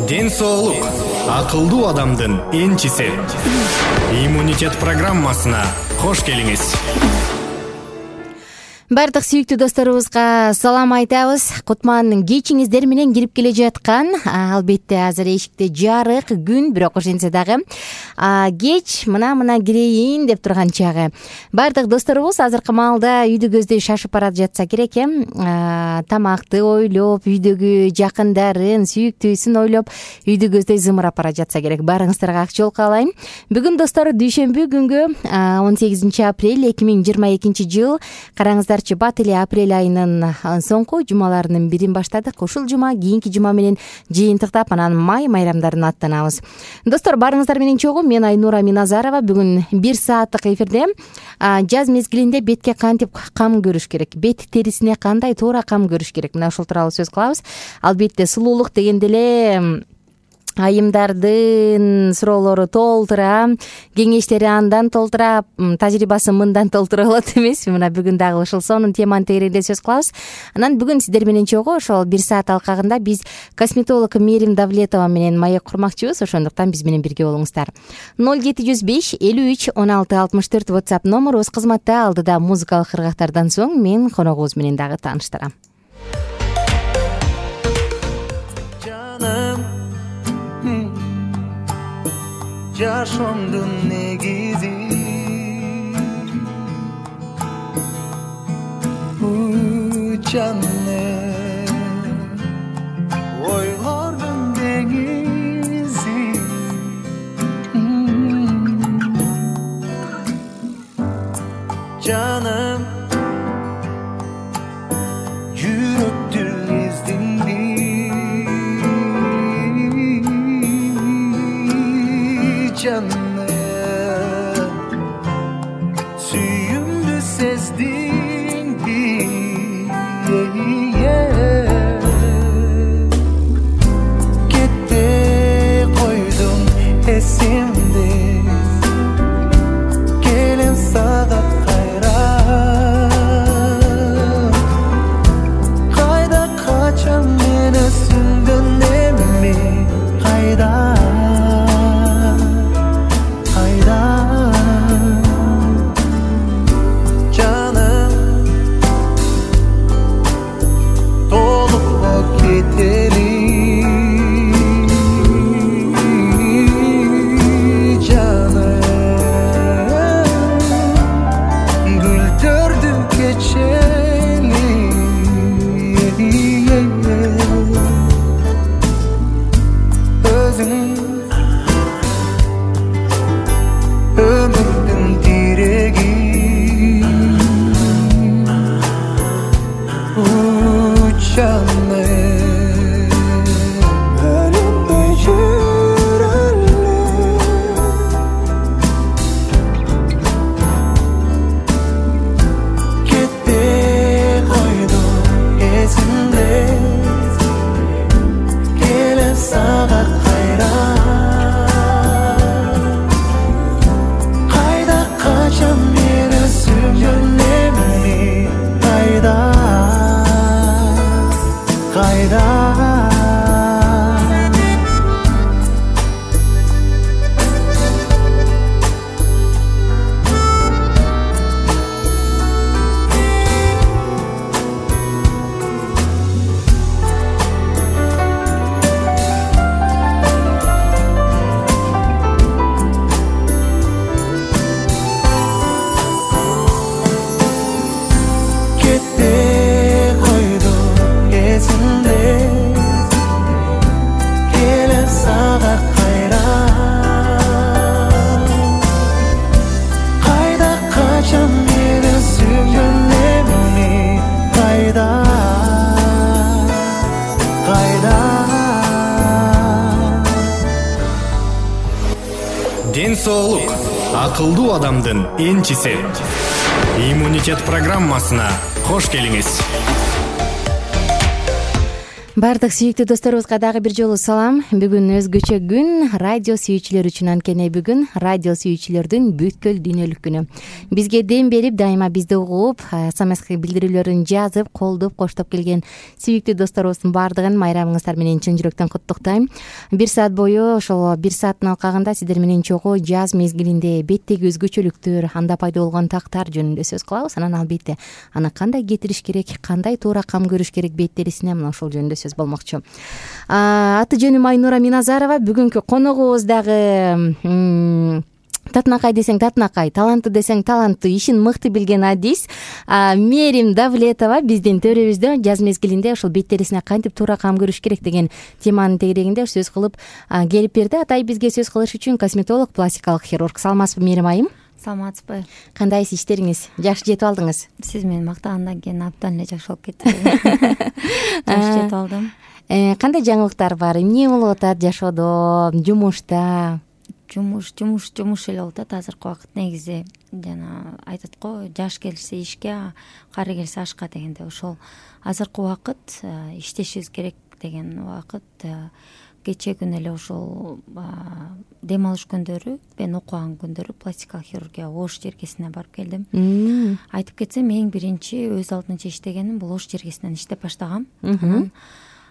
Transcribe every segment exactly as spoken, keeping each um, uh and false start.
Ден соолук акылдуу адамдын энчиси. Иммунитет программасына кош келиңиз. Бардык сүйүктүү досторубузга салам айтабыз. Кутман кечиңиздер менен кирип келе жаткан, албетте азыр эшикте жарык күн, бирок ошентсе дагы кеч мына-мына кирейин деп турган чагы. Бардык досторубуз азыркы маалда үйдү көздөй шашып барат жатса керек эм. Тамакты ойлоп, үйдөгү жакындарын, сүйүктүүсүн ойлоп, үйдү көздөй зымырап бара жатса керек. Барыңыздарга ак жол каалайм. Бүгүн достор дүйшөмбү күнгө он сегизинчи апрель эки миң жыйырма экинчи жыл. Караңыздар, бат эле апрель айынын соңку жумаларынын бирин баштадык. Ушул жума кийинки жума менен жыйынтыктап анан май майрамдарын аттанабыз. Достор, барыңыздар менен чогуу. Мен Айнура Миназарова. Бүгүн бир сааттык эфирде жаз мезгилинде бетке кантип кам көрүш керек, бет терисине кандай туура кам көрүш керек, мына ушул тууралуу сөз кылабыз. Албетте сулуулук дегенде эле айымдардын суроолору толтура, кеңештери андан толтура, тажрыйбасы мындан толтура болот эмеспи? Мына бүгүн дагы ушул сонун теманын тегерегинде сөз кылабыз. Анан бүгүн сиздер менен чогуу ошол бир саат алкагында биз косметолог Мерим Давлетова менен маек курмакчыбыз. Ошондуктан биз менен бирге болуңуздар. ноль жети жүз беш элүү үч он алты алтымыш төрт WhatsApp номерубуз кызматта. Алдыда музыкалык ыргактардан соң мен коногубуз менен дагы тааныштырам. Жашоомдун негизи жаным, ойлордун деңизи жаным, жүрөктү издинди жаным, сүйүмдү сездиңби? Кетте койдум эсимде, келем сага кайра, кайда качам мени сүндөн эми, кайда Ден соолук акылдуу адамдын энчиси. Иммунитет программасына кош келиңиз. Баардык сүйүктүү досторубузга дагы бир жолу салам. Бүгүн өзгөчө күн, радио сүйүүчүлөр үчүн. Анткени бүгүн радио сүйүүчүлөрдүн бүткүл дүйнөлүк күнү. Бизге дем берип, дайыма бизди угуп, смс билдирүүлөрүн жазып, колдоп, коштоп келген сүйүктүү досторубуздун баардыгын майрамыңыздар менен чын жүрөктөн куттуктайм. Бир саат бою, ошол бир сааттын алкагында сиздер менен чогуу жаз мезгилинде беттеги өзгөчөлүктөр, анда пайда болгон тактар жөнүндө сөз кылабыз. Анан албетте аны кандай кетириш керек, кандай туура кам көрүш керек бет терисине, мына ошол жөнүндө сөз болмокчу. Аты жөнүм Айнура Миназарова. Бүгүнкү коногубуз дагы татынакай десең татынакай, таланттуу десең таланттуу, ишин мыкты билген адис Мерим Давлетова биздин төрөбүздө жаз мезгилинде ошол бет терисине кантип туура кам көрүш керек деген теманын тегерегинде сөз кылып келип берди. Атай бизге сөз кылыш үчүн косметолог, пластикалык хирург. Саламатсызбы Мерим айым? Саламатсызбы? Кандайсыз, иштериңиз жакшы жетип алдыңыз? Сиз мени мактагандан кийин абдан эле жакшы болуп кетти. Жакшы жетип алдым. Кандай жаңылыктар бар? Эмне болуп атат жашоодо, жумушта? Жумуш, жумуш, жумуш эле болуп атат азыркы убакыт. Негизи жана айтат го, жаш келсе ишке, кары келсе ашка дегенде, ошол азыркы убакыт иштешибиз керек деген убакыт. Кечээ күнү эле ошол дем алыш күндөрү, мен окуган күндөрү пластикалык хирургия Ош жергесине барып келдим. Айтып кетсем, эң биринчи өз алдынча иштегеним бул Ош жергесинен иштеп баштагам. Анан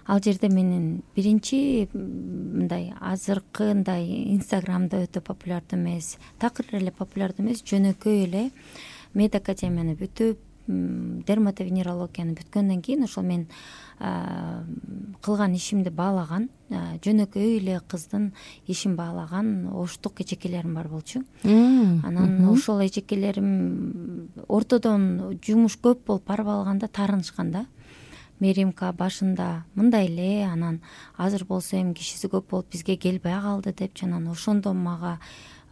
ал жерде менин биринчи мындай азыркындай Инстаграмда өтө популярдуу эмес, такыр эле популярдуу эмес, жөнөкөй эле мед академияны бүтүп, дерматовенерологияны бүткөндөн кийин ошол мен кылган ишимди баалаган, жөнөкөй эле кыздын ишин баалаган оштук эжекелерим бар болчу. Анан ошол эжекелерим ортодон жумуш көп болуп барып алганда таарынышкан да. Меримка башында мындай эле, анан азыр болсо эми кишиси көп болуп бизге келбей калды деп, анан ошондо мага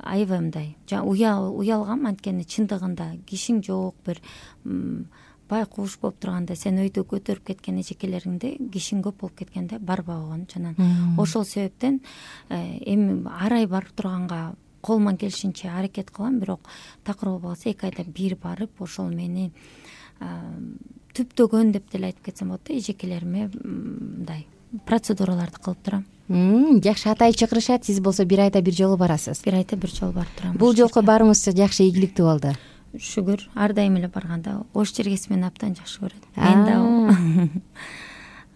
аябай мындай уялгам. Анткени чындыгында кишиң жок, бир байкуш болуп турганда сен өйдө көтөрүп кеткен эжекелериңде кишиң көп болуп кеткенде барбай койгон. Анан ошол себептен эми арай барып турганга колуман келишинче аракет кылам, бирок такыр болбосо эки айда бир барып ошол мени түптөгөн деп деле айтып кетсем болот да. Эжекелериме мындай процедураларды кылып турам. Жакшы, атай чакырышат, сиз болсо бир айда бир жолу барасыз. Бир айда бир жолу барып турам. Бул жолку барууңуз жакшы, ийгиликтүү болду. Шүгүр, ар дайым эле барганда Ош жергеси мени абдан жакшы көрөт. Мен да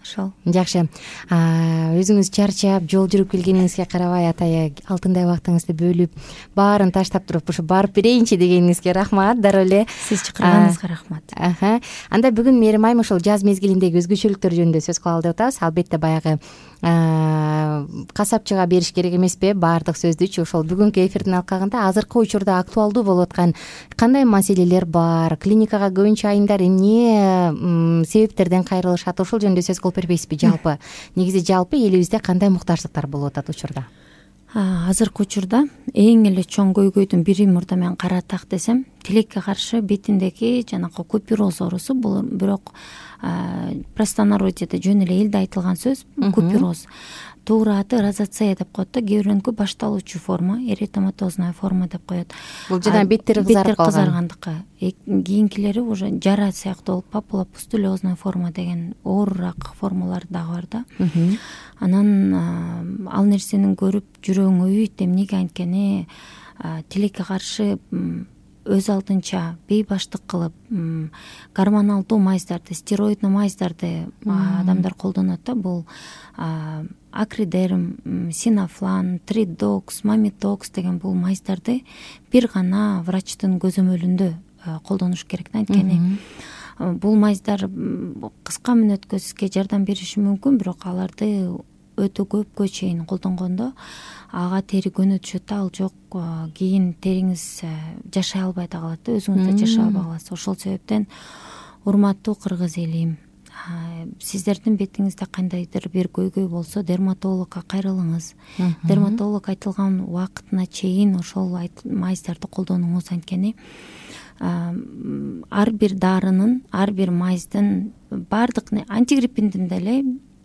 ошол. Жакшы. Өзүңүз чарчап, жол жүрүп келгениңизге карабай, атай алтындай убактыңызды бөлүп, баарын таштап туруп ушу барып берейинчи дегениңизге рахмат. Дароо эле сиз чакырганыңызга рахмат. Анда бүгүн Мерим айым ошол жаз мезгилиндеги өзгөчөлүктөр жөнүндө сөз кылалы деп атабыз. Албетте баягы касапчыга бериш керек эмеспи баардык сөздүчү. Ошол бүгүнкү эфирдин алкагында азыркы учурда актуалдуу болуп аткан кандай маселелер бар, клиникага көбүнчө айымдар эмне себептерден кайрылышат, ошол жөнүндө сөз кылып бербейсизби? Жалпы негизи жалпы элибизде кандай муктаждыктар болуп атат учурда? Азыркы учурда эң эле чоң көйгөйдүн бири, мурда мен каратак десем, тилекке каршы бетиндеги жанакы купероз оорусу. Бул бирок простонародьеде жөн эле элде айтылган сөз купероз. Туура аты розацея деп коет да, кээ бирөөнүкү башталуучу форма, эритематозная форма деп коет. Бул жана беттери кызарып калган. Кызаргандыкы. Кийинкилери уже жара сыяктуу болуп, папулопустулезная форма деген оорураак формалар дагы бар да. Анан ал нерсени көрүп жүрөгүң өйүйт. Эмнеге? Анткени тилекке каршы өз алдынча бейбаштык кылып, гормоналдуу майздарды, стероидный майздарды адамдар колдонот да. Бул акридерм, синафлан, тридокс, мамитокс деген бул майздарды бир гана врачтын көзөмөлүндө колдонуш керек да. Анткени бул майздар кыска мүнөткө сизге жардам бериши мүмкүн, бирок аларды өтө көпкө чейин колдонгондо ага тери көнүп түшөт да. Ал жок, кийин териңиз жашай албай да калат да, өзүңүз да жашай албай каласыз. Ошол себептен урматтуу кыргыз элим, сиздердин бетиңизде кандайдыр бир көйгөй болсо дерматологко кайрылыңыз. Дерматолог айтылган убакытына чейин ошол майздарды колдонуңуз. Анткени ар бир дарынын, ар бир майздын, баардык антигриппиндин деле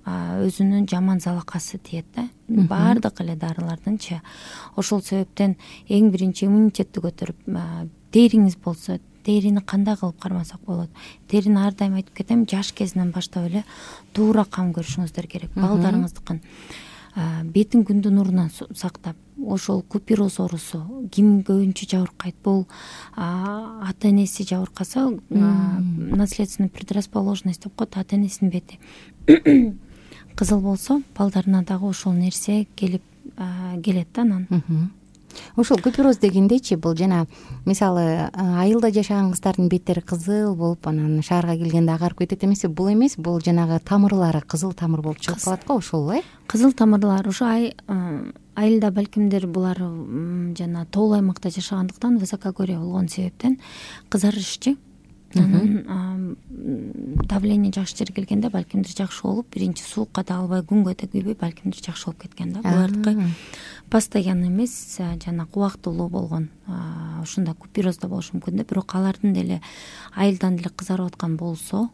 өзүнүн жаман залакасы тиет да. Баардык эле дарылардынчы. Ошол себептен эң биринчи иммунитетти көтөрүп, териңиз болсо, терини кандай кылып кармасак болот? Терини ар дайым айтып кетем, жаш кезинен баштап эле туура кам көрүшүңүздөр керек. Балдарыңыздыкын бетин күндүн нурунан сактап, ошол купероз оорусу ким көбүнчө жабыркайт? Бул ата энеси жабыркаса, наследственный предрасположенность деп коет, ата энесинин бети кызыл болсо, балдарына дагы ошол нерсе келип келет да анан. Ошол купероз дегендечи, бул жана мисалы айылда жашаган кыздардын беттери кызыл болуп, анан шаарга келгенде агарып кетет эмеспи? Бул эмес, бул жанагы тамырлары кызыл тамыр болуп чыгып калат го, ошол э? Кызыл тамырлар ошо айылда балкимдер булар жана тоолуу аймакта жашагандыктан, высокогорье болгон себептен кызарышчы. Анан давление жакшы жерге келгенде балкимдир жакшы болуп, биринчи суукка да албай, күнгө да күйбөй балкимдир жакшы болуп кеткен да. Булардыкы постоянно эмес, жана убактылуу болгон, ушундай купероз да болушу мүмкүн да. Бирок алардын деле айылдан деле кызарып аткан болсо,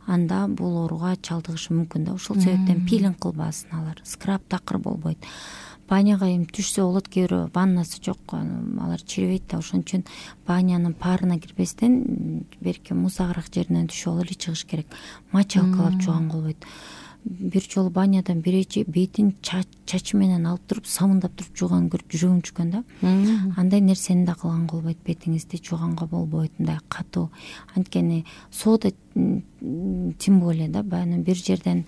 анда бул ооруга чалдыгышы мүмкүн да. Ошол себептен пилинг кылбасын алар, скраб такыр болбойт. Баняга эми түшсө болот, кээ бирөө ваннасы жок, алар чирибейт да. Ошон үчүн банянын парына кирбестен берки мусагыраак жеринен түшүп алып эле чыгыш керек. Мочалкалап жууганга болбойт. Бир жолу банядан биречи бетин чачы менен алып туруп, самындап туруп жууган көрүп жүрөгүм түшкөн да. Андай нерсени да кылганга болбойт, бетиңизди жууганга болбойт, мындай катуу. Анткени соода тем более да, баягы бир жерден,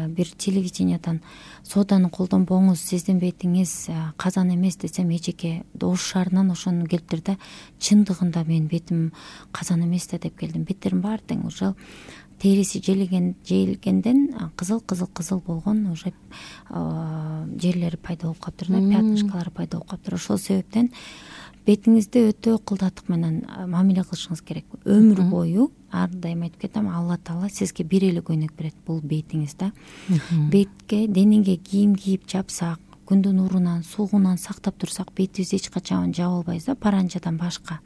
бир телевидениядан сооданы колдонбоңуз, сиздин бетиңиз казан эмес десем, эжеке Ош шаарынан ошону келиптир да. Чындыгында менин бетим казан эмес да деп келдим. Беттерим баары тең, ошол териси желеген желгенден кызыл кызыл кызыл болгон уже жерлери пайда болуп калыптыр да, пятнышкалары пайда болуп калыптыр. Ошол себептен бетиңизди өтө ыкылдаттык менен мамиле кылышыңыз керек. Өмүр бою ар дайым айтып кетем, Алла Таала сизге бир эле көйнөк берет, бул бетиңиз да. Бетке, денеге кийим кийип жапсак, күндүн нурунан, суугунан сактап турсак, бетибизди эч качан жаба албайбыз да, паранжадан башка.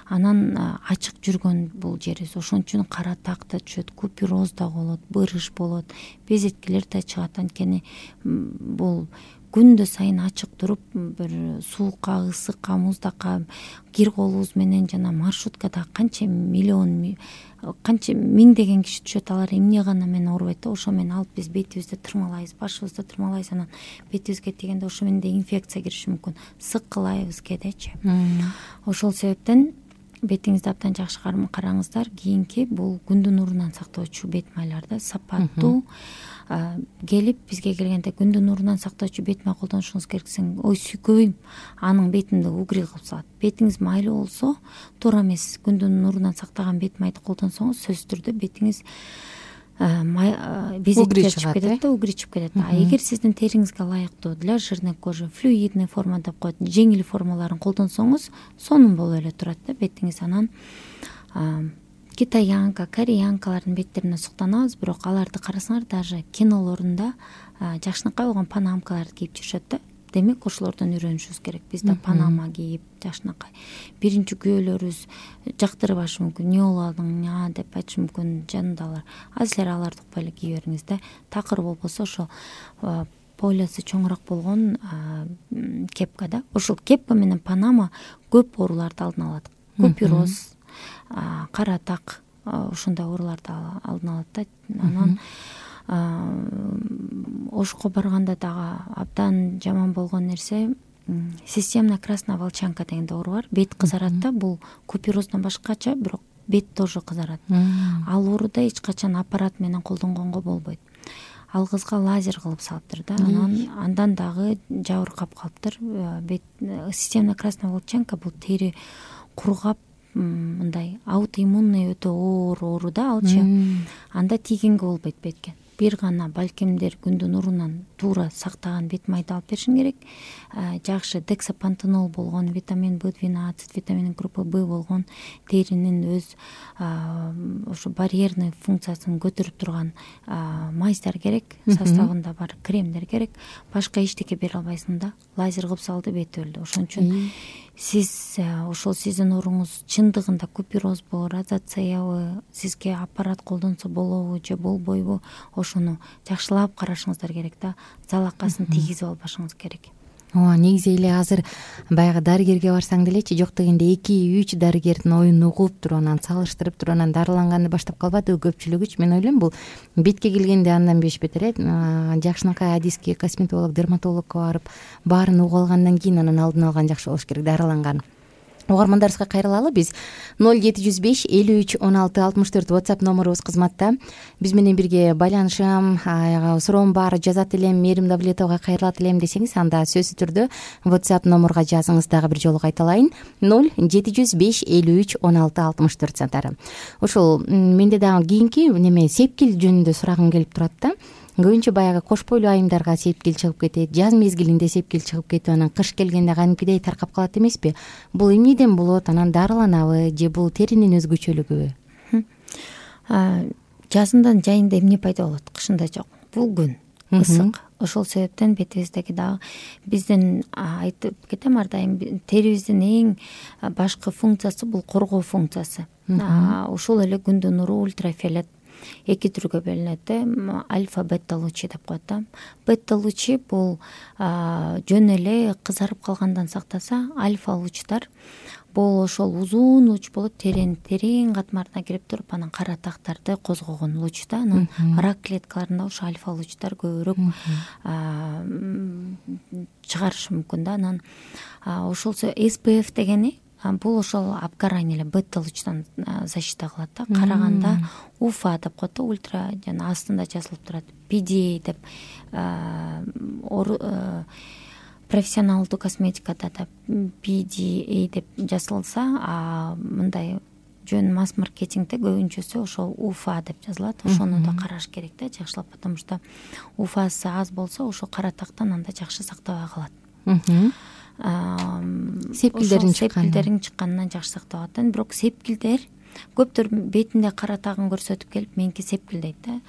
Анан ачык жүргөн бул жерибиз. Ошон үчүн кара так да түшөт, купероз да болот, бырыш болот, безеткелер да чыгат. Анткени бул күндө сайын ачык туруп, бир суукка, ысыкка, муздакка кир колубуз менен жана маршруткада канча миллион, канча миңдеген киши түшөт, алар эмне гана менен оорубайт да. Ошо менен алып биз бетибизди тырмалайбыз, башыбызды тырмалайбыз, анан бетибизге тигенде ошо менен инфекция кириши мүмкүн, сыккылайбыз кедечи. Ошол себептен бетиңизди абдан жакшы караңыздар. Кийинки бул күндүн нурунан сактоочу бет майларды сапаттуу келип бизге келгенде күндүн нурунан сактоочу бет май колдонушуңуз керексиң. Ой сүйкөбөйм, анын бетимди угрий кылып салат. Бетиңиз майлуу болсо, туура эмес күндүн нурунан сактаган бет майды колдонсоңуз, сөзсүз түрдө бетиңиз безеттер чыгып кетет да, угрий чыгып кетет. А эгер сиздин териңизге ылайыктуу для жирной кожи, флюидный форма деп коет, жеңил формаларын колдонсоңуз, сонун болуп эле турат да бетиңиз. Анан китаянка, кореянкалардын беттерине суктанабыз, бирок аларды карасаңар, даже кинолорунда жакшынакай болгон панамкаларды кийип жүрүшөт да. Демек ошолордон үйрөнүшүбүз керек. Биз да панама кийип, жакшынакай. Биринчи күйөөлөрүбүз жактырбашы мүмкүн, эмне болдуң деп айтышы мүмкүн жанындагылар. Азыр эле аларды укпай эле кие бериңиз да. Такыр болбосо ошо полясы чоңураак болгон кепка да. Ошол кепка менен панама көп ооруларды алдын алат. Купероз, кара так, ушундай ооруларды алдын алат да. Анан Ошко барганда дагы абдан жаман болгон нерсе системная красная волчанка деген оору бар. Бет кызарат да, бул купероздон башкача, бирок бет тоже кызарат. Ал ооруда эч качан аппарат менен колдонгонго болбойт. Ал кызга лазер кылып салыптыр да. Анан андан дагы жабыркап калыптыр. Бет системная красная волчанка бул тери кургап, мындай аутоиммунный өтө оор оору да алчы. Анда тийгенге болбойт бетке. Бир гана балкимдер күндүн нурунан туура сактаган бет майды алып беришиң керек. Жакшы дексапантенол болгон, витамин бэ двенадцать, витамин группы Б болгон, теринин өз ошо барьерный функциясын көтөрүп турган майздар керек, составында бар кремдер керек. Башка эчтеке бере албайсың да. Лазер кылып салды, бет өлдү. Ошон үчүн сиз ошол сиздин ооруңуз чындыгында куперозбу, розацеябы, сизге аппарат колдонсо болобу же болбойбу, ошону жакшылап карашыңыздар керек да. Залакасын тийгизип албашыңыз керек. ооба, негизи эле азыр баягы дарыгерге барсаң делечи, жок дегенде эки үч дарыгердин оюн угуп туруп, анан салыштырып туруп, анан дарыланганды баштап калбадыбы көпчүлүгүчү. Мен ойлойм, бул бетке келгенде андан беш бетер э жакшынакай адиске, косметолог, дерматологко барып, баарын угуп алгандан кийин анан алдын алган жакшы болуш керек, дарыланган. Угармандарыбызга кайрылалы. Биз ноль жети жүз беш элүү үч он алты алтымыш төрт WhatsApp номерубуз кызматта. Биз менен бирге байланышам, суроом бар, жазат элем, Мээрим Давлетовага кайрылат элем десеңиз, анда сөзсүз түрдө WhatsApp номерга жазыңыз. Дагы бир жолу кайталайын: ноль жети жүз беш элүү үч он алты алтымыш төрт сантары. Ошол менде дагы кийинки неме сепкил жөнүндө сурагым келип турат да. Көбүнчө баягы кош бойлуу айымдарга сепкил чыгып кетет, жаз мезгилинде сепкил чыгып кетип, анан кыш келгенде кадимкидей таркап калат эмеспи? Бул эмнеден болот? Анан дарыланабы же бул теринин өзгөчөлүгүбү? Жазында жайында эмне пайда болот, кышында жок. Бул күн ысык. Ошол себептен бетибиздеги дагы биздин айтып кетем ар дайым, терибиздин эң башкы функциясы бул коргоо функциясы. Ошол эле күндүн нуру, ультрафиолет эки түргө бөлүнөт. Альфа, бета лучи деп коет да. Бета лучи бул жөн эле кызарып калгандан сактаса, альфа лучтар бул ошол узун луч болот, терең терең катмарына кирип туруп, анан кара тактарды козгогон луч да. Анан рак клеткаларында ошо альфа лучтар көбүрөөк чыгарышы мүмкүн да. Анан ошол эс пэ эф дегени бул ошол обгорание эле бета лучтан защита кылат да. Караганда уфа деп коет да, ультра, жана астында жазылып турат пи ди эй деп, профессионалдуу косметикада да пи ди эй деп жазылса, а мындай жөн масс-маркетингде көбүнчөсү ошол уфа деп жазылат. Ошону да караш керек да жакшылап, потому что уфасы аз болсо ошо кара тактан анда жакшы сактабай калат. Сепкилдерин сепкилдерин чыкканынан жакшы сактап атат. Бирок сепкилдер көптөр бетинде кара тагын көрсөтүп келип, меники сепкил дейт да.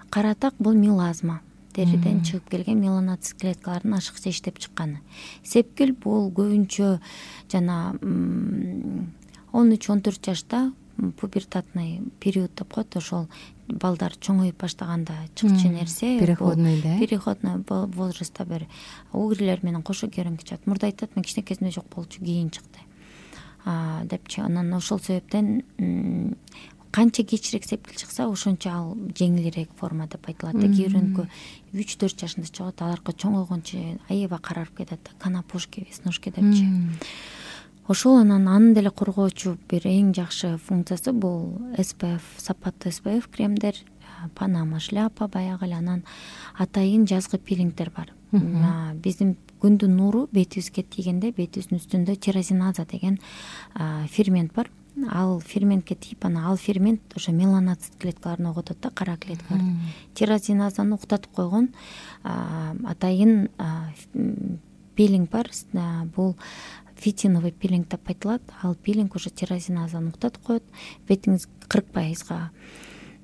Кара так бул мелазма, териден чыгып келген меланоцит клеткалардын ашыкча иштеп чыкканы. Сепкил бул көбүнчө жана он үч он төрт жашта пубертатный период деп коет, ошол балдар чоңоюп баштаганда чыкчу нерсе, переходный да, переходный возрастта бир угрилер менен кошо көрүнгө чыгат. Мурда айтат, мен кичинекесинде жок болчу, кийин чыкты депчи. Анан ошол себептен канча кечирээк сепкил чыкса, ошончо ал жеңилирээк форма деп айтылат. Кээ бирөөнүкү үч төрт жашында чыгат, аларга чоңойгончо аябай карарып кетет да, канапушки, веснушки депчи. Ошол анан анын деле коргоочу бир эң жакшы функциясы бул эс пэ эф, сапаттуу эс пэ эф кремдер, панама шляпа баягы эле. Анан атайын жазгы пилингдер бар. Биздин күндүн нуру бетибизге тийгенде, бетибиздин үстүндө тирозиназа деген фермент бар. Ал ферментке тийип, анан ал фермент ошо меланоцит клеткаларын оготот да, кара клеткаларды. Тирозиназаны уктатып койгон атайын пилинг бар. Бул фитиновый пилинг деп айтылат. Ал пилинг уже тирозиназаны уктатып коет, бетиңиз кырк пайызга.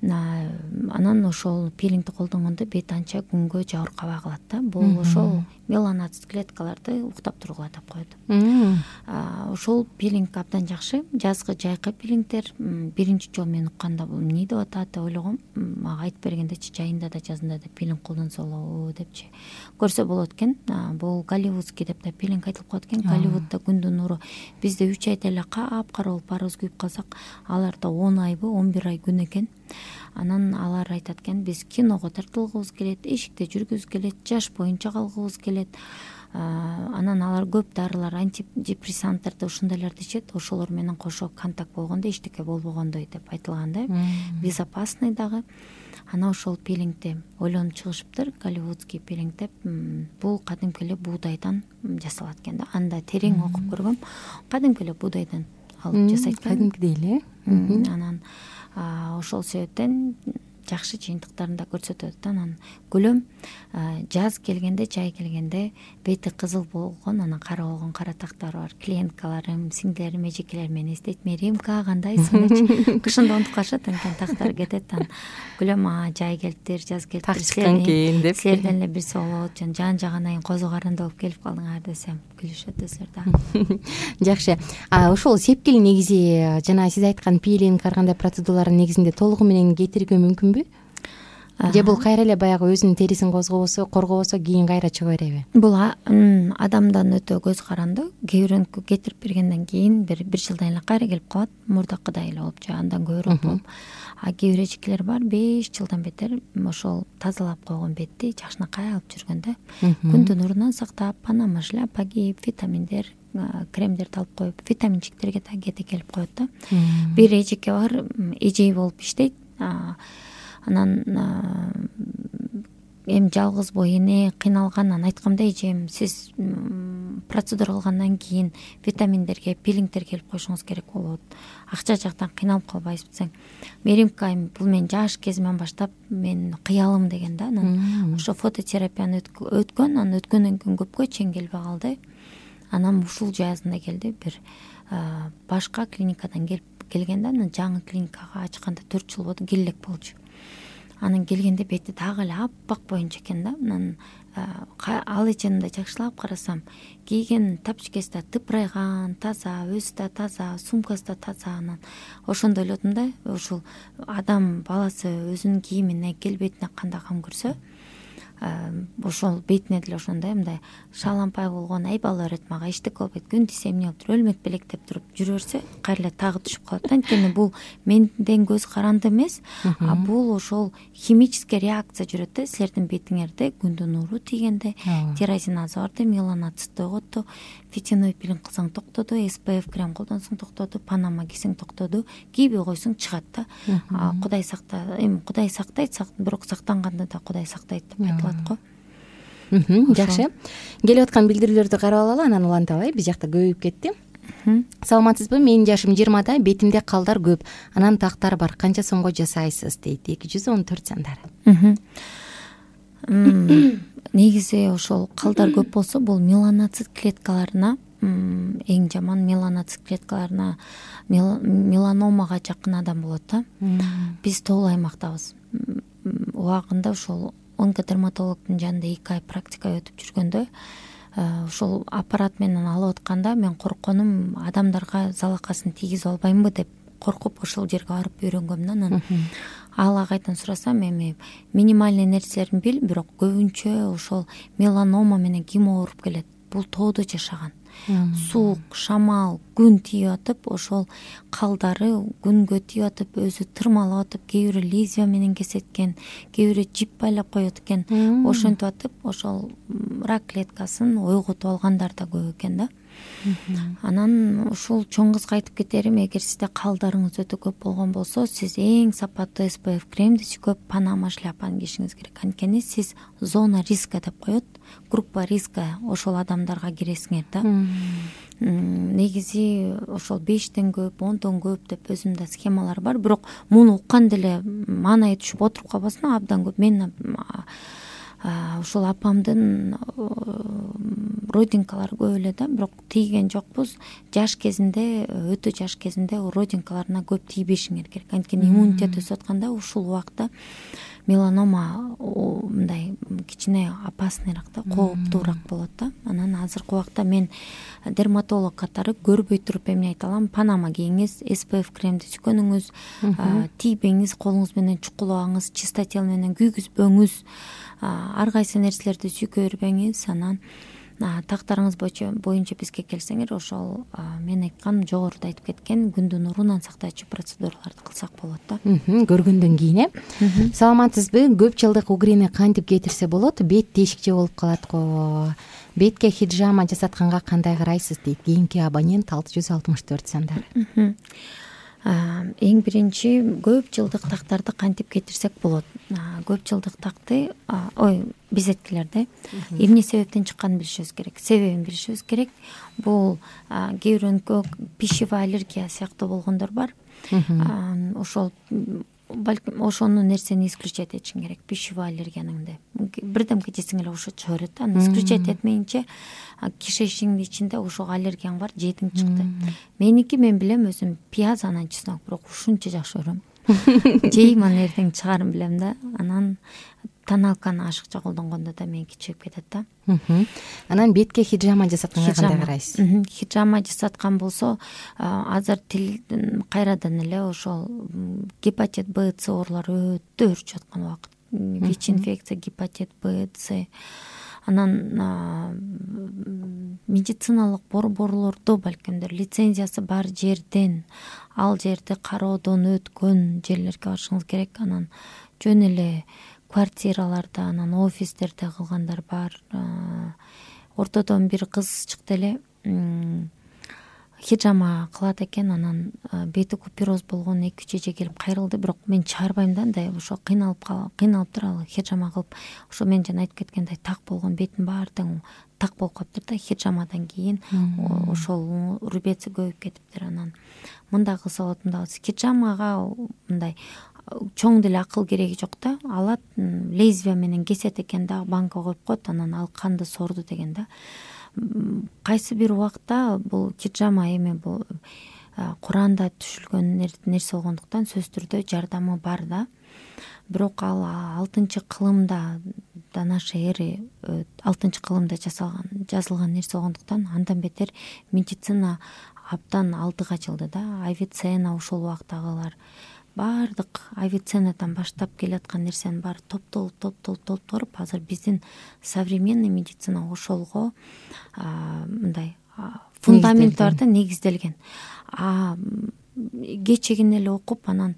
Анан ошол пилингди колдонгондо бет анча күнгө жабыркабай калат да. Бул ошол меланоцит клеткаларды уктап тургула деп коет. Ошол пилинг абдан жакшы. Жазгы жайкы пилингдер биринчи жолу мен укканда бул эмне деп атат деп ойлогом. Мага айтып бергендечи, жайында да жазында да пилинг колдонсо болобу депчи. Көрсө болот экен. Бул голливудский деп да пилинг айтылып коет экен. Голливудда күндүн нуру бизде үч айда эле капкара болуп парыз күйүп калсак, аларда он айбы он бир ай күн экен. Анан алар айтат экен, биз киного тартылгыбыз келет, эшикте жүргүбүз келет, жаш боюнча калгыбыз келет. Анан алар көп дарылар, антидепрессанттарды, ушундайларды ичет. Ошолор менен кошо контакт болгондо эчтеке болбогондой деп айтылган да. Безопасный дагы. Анан ошол пилингди ойлонуп чыгышыптыр, голливудский пилинг деп. Бул кадимки эле буудайдан жасалат экен да. Анда терең окуп көргөм. Кадимки эле буудайдан алып жасайт экен. Кадимкидей эле. Анан ошол себептен жакшы жыйынтыктарын да көрсөтөт. Анан күлөм жаз келгенде, жай келгенде бети кызыл болгон, анан кара болгон кара тактар бар. Клиенткаларым, сиңдилерим, эжекелер мени эстейт. Меримка кандайсың депчи. Кышында унутуп калышат, анан тактар кетет. Анан күлөм, а жай келиптир, жаз келиптир. Так чыккан кийин деп. Силерден эле бирсе болот, жан жагынан козу карынды болуп келип калдыңар десем, күлүшөт өзлөр да. Жакшы. А ошол сепкил негизи жана сиз айткан пилинг, ар кандай процедуралардын негизинде толугу менен кетирүүгө мүмкүнбү? же бул кайра эле баягы өзүнүн терисин козгобосо коргобосо кийин кайра чыга береби? Бул адамдан өтө көз каранды. Кээ бирөөнүкү кетирип бергенден кийин бир бир жылдан эле кайра келип калат, мурдакыдай эле болуп же андан көбүрөөк болуп. А кээ бир эжекелер бар беш жылдан бетер ошол тазалап койгон бетти жакшынакай алып жүргөндө күндүн нурунан сактап, панама шляпа кийип, витаминдер, кремдерди алып коюп, витаминчиктерге да кете келип коет да. Бир эжеке бар, эжей болуп иштейт. Анан эми жалгыз бой эне кыйналган. Анан айткам да, эжем, сиз процедура кылгандан кийин витаминдерге, пилингдер келип коюшуңуз керек болот. Акча жактан кыйналып калбайсыз десең, меримка айым бул мен жаш кезимден баштап мен кыялым деген да. Анан ошо фототерапияны өткөн, анан өткөндөн кийин көпкө чейин келбей калды. Анан ушул жазында келди, бир башка клиникадан келип келген да. Анан жаңы клиникага ачканда төрт жыл болду, келек болчу. Анан келгенде бети дагы эле аппак боюнча экен да. Анан ал эжемди жакшылап карасам, кийген тапочкеси да тыпырайган, таза, өзү да таза, сумкасы да таза. Анан ошондо ойлодум да, ушул адам баласы өзүнүн кийимине, келбетине кандай кам көрсө, ошол бетине деле ошондой мындай шалампай болгон ай бала өрөт мага, иштик болбойт, күн тийсе эмне болуп туруп, өлмөк белек деп туруп жүрө берсе, кайра эле тагы түшүп калат да. Анткени бул менден көз каранды эмес, а бул ошол химический реакция жүрөт да. Силердин бетиңерде күндүн нуру тийгенде тирозиназа барды, меланоцитти ойготту, фитиновый пилинг кылсаң токтоду, эс пэ эф крем колдонсоң токтоду, панама кийсең токтоду, кийбей койсоң чыгат да. Кудай сакта, эми Кудай сактайт, бирок сактанганда да Кудай сактайт деп айтылат го. Жакшы. Келип аткан билдирүүлөрдү карап алалы, анан уланталы. Биз жакта көбөйүп кетти. Саламатсызбы? Менин жашым жыйырмада, бетимде калдар көп, анан тактар бар. Канча сомго жасайсыз дейт. эки жүз он төрт сандары. Негизи ошол калдар көп болсо, бул меланоцит клеткаларына, эң жаман меланоцит клеткаларына, меланомага жакын адам болот да. Биз тоолуу аймактабыз. Убагында ошол онкодерматологдун жанында эки ай практика өтүп жүргөндө, ошол аппарат менен алып атканда мен коркконум адамдарга залакасын тийгизе албаймынбы деп коркуп ошол жерге барып үйрөнгөм да. Анан ал агайдан сурасам, эми минимальный нерселерин бил, бирок көбүнчө ошол меланома менен ким ооруп келет? Бул тоодо жашаган. Суук, шамал, күн тийип атып, ошол калдары күнгө тийип атып, өзү тырмалап атып, кээ бири лезвия менен кесеткен, кээ бири жип байлап коет экен. Ошентип атып, ошол рак клеткасын ойготуп алгандар да көп экен да. Анан ушул чоң кызга айтып кетерим, эгер сизде калдарыңыз өтө көп болгон болсо, сиз эң сапаттуу эс пэ эф кремди сүйкөп, панама шляпаны кийишиңиз керек. Анткени сиз зона риска деп коет, группа риска ошол адамдарга киресиңер да. Негизи ошол бештен көп, ондон көп деп өзүмдө схемалар бар, бирок муну укканда эле маанайы түшүп отуруп калбасын, абдан көп. Мен ушул апамдын родинкалары көп эле да, бирок тийген жокпуз. Жаш кезинде, өтө жаш кезинде родинкаларына көп тийбешиңер керек. Анткени иммунитет өсүп атканда ушул убакта меланома мындай кичине опасныйраак да, кооптуураак болот да. Анан азыркы убакта мен дерматолог катары көрбөй туруп эмне айта алам? Панама кийиңиз, эс пэ эф кремди сүйкөнүңүз, тийбеңиз, колуңуз менен чукулабаңыз, чистотел менен күйгүзбөңүз, ар кайсы нерселерди сүйкөй бербеңиз. Анан тактарыңыз боюнча бизге келсеңер, ошол мен айткан, жогоруда айтып кеткен күндүн нурунан сактоочу процедураларды кылсак болот да. Көргөндөн кийин э. Саламатсызбы? Көп жылдык угрини кантип кетирсе болот? Бет тешикче болуп калат го. Бетке хиджама жасатканга кандай карайсыз дейт кийинки абонент алты жүз алтымыш төрт сандары. Эң биринчи, көп жылдык тактарды кантип кетирсек болот? Көп жылдык такты, ой, безеткилерди эмне себептен чыкканын билишибиз керек, себебин билишибиз керек. Бул кээ бирөөнүкө пищевой аллергия сыяктуу болгондор бар. Ошол балким ошону нерсени исключать этишиң керек, пищевой аллергиянын да. Бирдемке жесең эле ошо чыга берет да. Аны исключать этмейинче кишечиңдин ичинде ошого аллергияң бар, жейтиң чыкты. Меники мен билем, өзүм пияз анан чеснок, бирок ушунча жакшы көрөм. Жейм, анан эртең чыгарым билем да. Анан тоналканы ашыкча колдонгондо да меники чыгып кетет да. Анан бетке хиджама жасатканга кандай карайсыз? Хиджама жасаткан болсо, азыр тил кайрадан эле ошол гепатит Б, С оорулары өтө өрчүп аткан убакыт. вич инфекция, гепатит Б, С. Анан медициналык борборлордо балкимдир лицензиясы бар жерден, ал жерди кароодон өткөн жерлерге барышыңыз керек. Анан жөн эле квартираларда, анан офистерде кылгандар бар. Ортодон бир кыз чыкты эле, хижама кылат экен, анан бети купероз болгон эки үч эже келип кайрылды, бирок мен чыгарбайм да, андай ошо кыйналып кыйналыптыр ал хижама кылып. Ошо мен жана айтып кеткендей так болгон бетин баары тең так болуп калыптыр да, хижамадан кийин ошол рубец көбөйүп кетиптир. Анан мындай кылса болот, мындай хижамага мындай чоң деле акыл кереги жок да, алат лезвия менен кесет экен да, банка коюп коет, анан ал канды сорду деген да. Кайсы бир убакта бул хижама эми бул Куранда түшүлгөн нерсе болгондуктан сөзсүз түрдө жардамы бар да. Бирок ал алтынчы кылымда, до нашей эры алтынчы кылымда жасалган жазылган нерсе болгондуктан андан бетер медицина абдан алдыга жылды да. Авиценна ошол убактагылар баардык авиценнадан баштап келаткан нерсенин баары топтолуп топтолуп топтолуп азыр биздин современный медицина ошолго мындай фундамент бар да, негизделген. А кечегин эле окуп, анан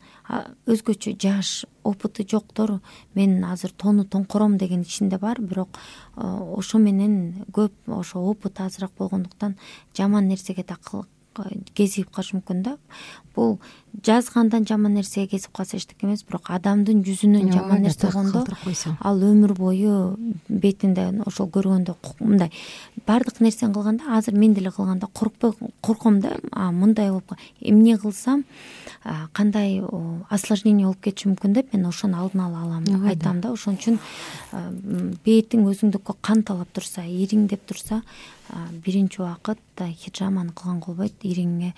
өзгөчө жаш опыты жоктор мен азыр тоону тоңкором деген ичинде бар, бирок ошо менен көп ошо опыт азыраак болгондуктан жаман нерсеге да кезип калышы мүмкүн да. Бул жазгандан жаман нерсеге кезип калса эчтеке эмес, бирок адамдын жүзүнөн жаман нерсе болгондо ал өмүр бою бетинде ошол көргөндө мындай баардык нерсени кылганда, азыр мен деле кылганда коркпой корком да, мындай болуп эмне кылсам кандай осложнение болуп кетиши мүмкүн деп мен ошону алдын ала алам, айтам да. Ошон үчүн бетиң өзүңдүккө кан талап турса, ириңдеп турса, биринчи убакыт хижаманы кылган болбойт, ириңе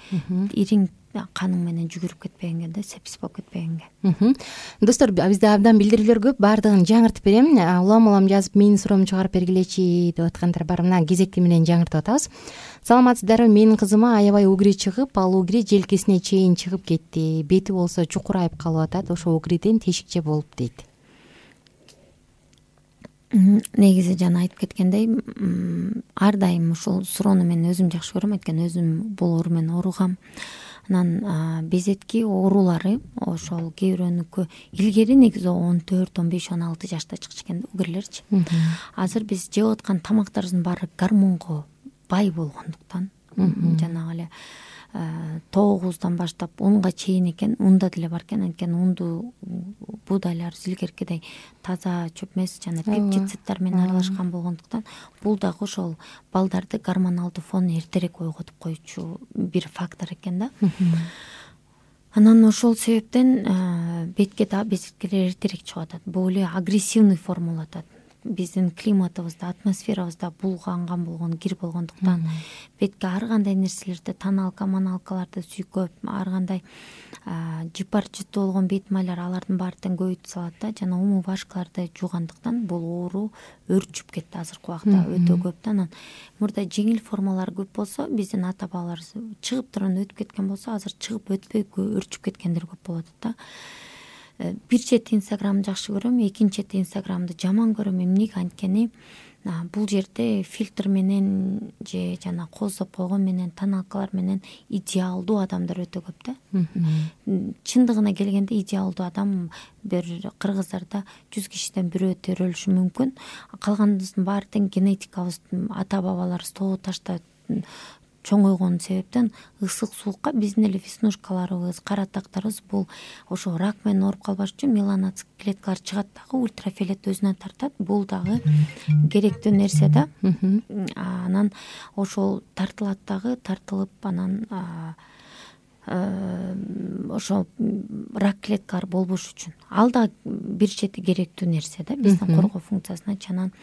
ириң каның менен жүгүрүп кетпегенге да, сепсиз болуп кетпегенге. Достор, бизде абдан билдирүүлөр көп, баардыгын жаңыртып берем. Улам улам жазып менин суроомду чыгарып бергилечи деп аткандар бар. Мына кезекти менен жаңыртып атабыз. Саламатсыздарбы, менин кызыма аябай угри чыгып, ал угри желкесине чейин чыгып кетти. Бети болсо чукурайып калып атат. Ошо угриден тешикче болуп дейт. Негизи жана айтып кеткендей, ар дайым ушул суроону мен өзүм жакшы көрөм, анткени өзүм бул оору менен ооругам. Анан безетки оорулары ошол кээ бирөөнүкү илгери негизи он төрт, он беш, он алты жашта чыкчу экен да, угрилерчи. Азыр биз жеп аткан тамактарыбыздын баары гормонго бай болгондуктан, жанагы эле тогуздан баштап унга чейин экен, унда деле бар экен, анткени унду буудайлар илгеркидей таза чөп эмес, жана пептициддер менен аралашкан болгондуктан бул дагы ошол балдарды гормоналдуу фон эртерээк ойготуп коючу бир фактор экен да. Анан ошол себептен бетке да безеткилер эртерээк чыгып атат. Бул эле агрессивный форма атат. Биздин климатыбызда, атмосферабызда булганган болгон, кир болгондуктан бетке ар кандай нерселерди, тоналка, маналкаларды сүйкөп, ар кандай жыпар жыттуу болгон бет майлар, алардын баары тең көбөйтүп салат да, жана умувашкаларды жуугандыктан бул оору өрчүп кетти азыркы убакта өтө көп да. Анан мурда жеңил формалар көп болсо, биздин ата бабалар чыгып турган өтүп кеткен болсо, азыр чыгып өтпөй өрчүп кеткендер көп болуп атат да. Бир чети инстаграмды жакшы көрөм, экинчи чети инстаграмды жаман көрөм. Эмнеге? Анткени бул жерде фильтр менен же жана кооздоп койгон менен, тоналкалар менен идеалдуу адамдар өтө көп да. Чындыгына келгенде идеалдуу адам бир кыргыздарда жүз кишиден бирөө төрөлүшү мүмкүн. Калгандын баары тең генетикабыз, ата бабаларыбыз тоо ташта чоңойгон себептен ысык суукка биздин эле веснушкаларыбыз, каратактарыбыз бул ошо рак менен ооруп калбаш үчүн меланоцит клеткалар чыгат дагы, ультрафиолет өзүнө тартат. Бул дагы керектүү нерсе да. Анан ошол тартылат дагы, тартылып анан ошо рак клеткалар болбош үчүн ал да бир чети керектүү нерсе да биздин коргоо функциясына. Анан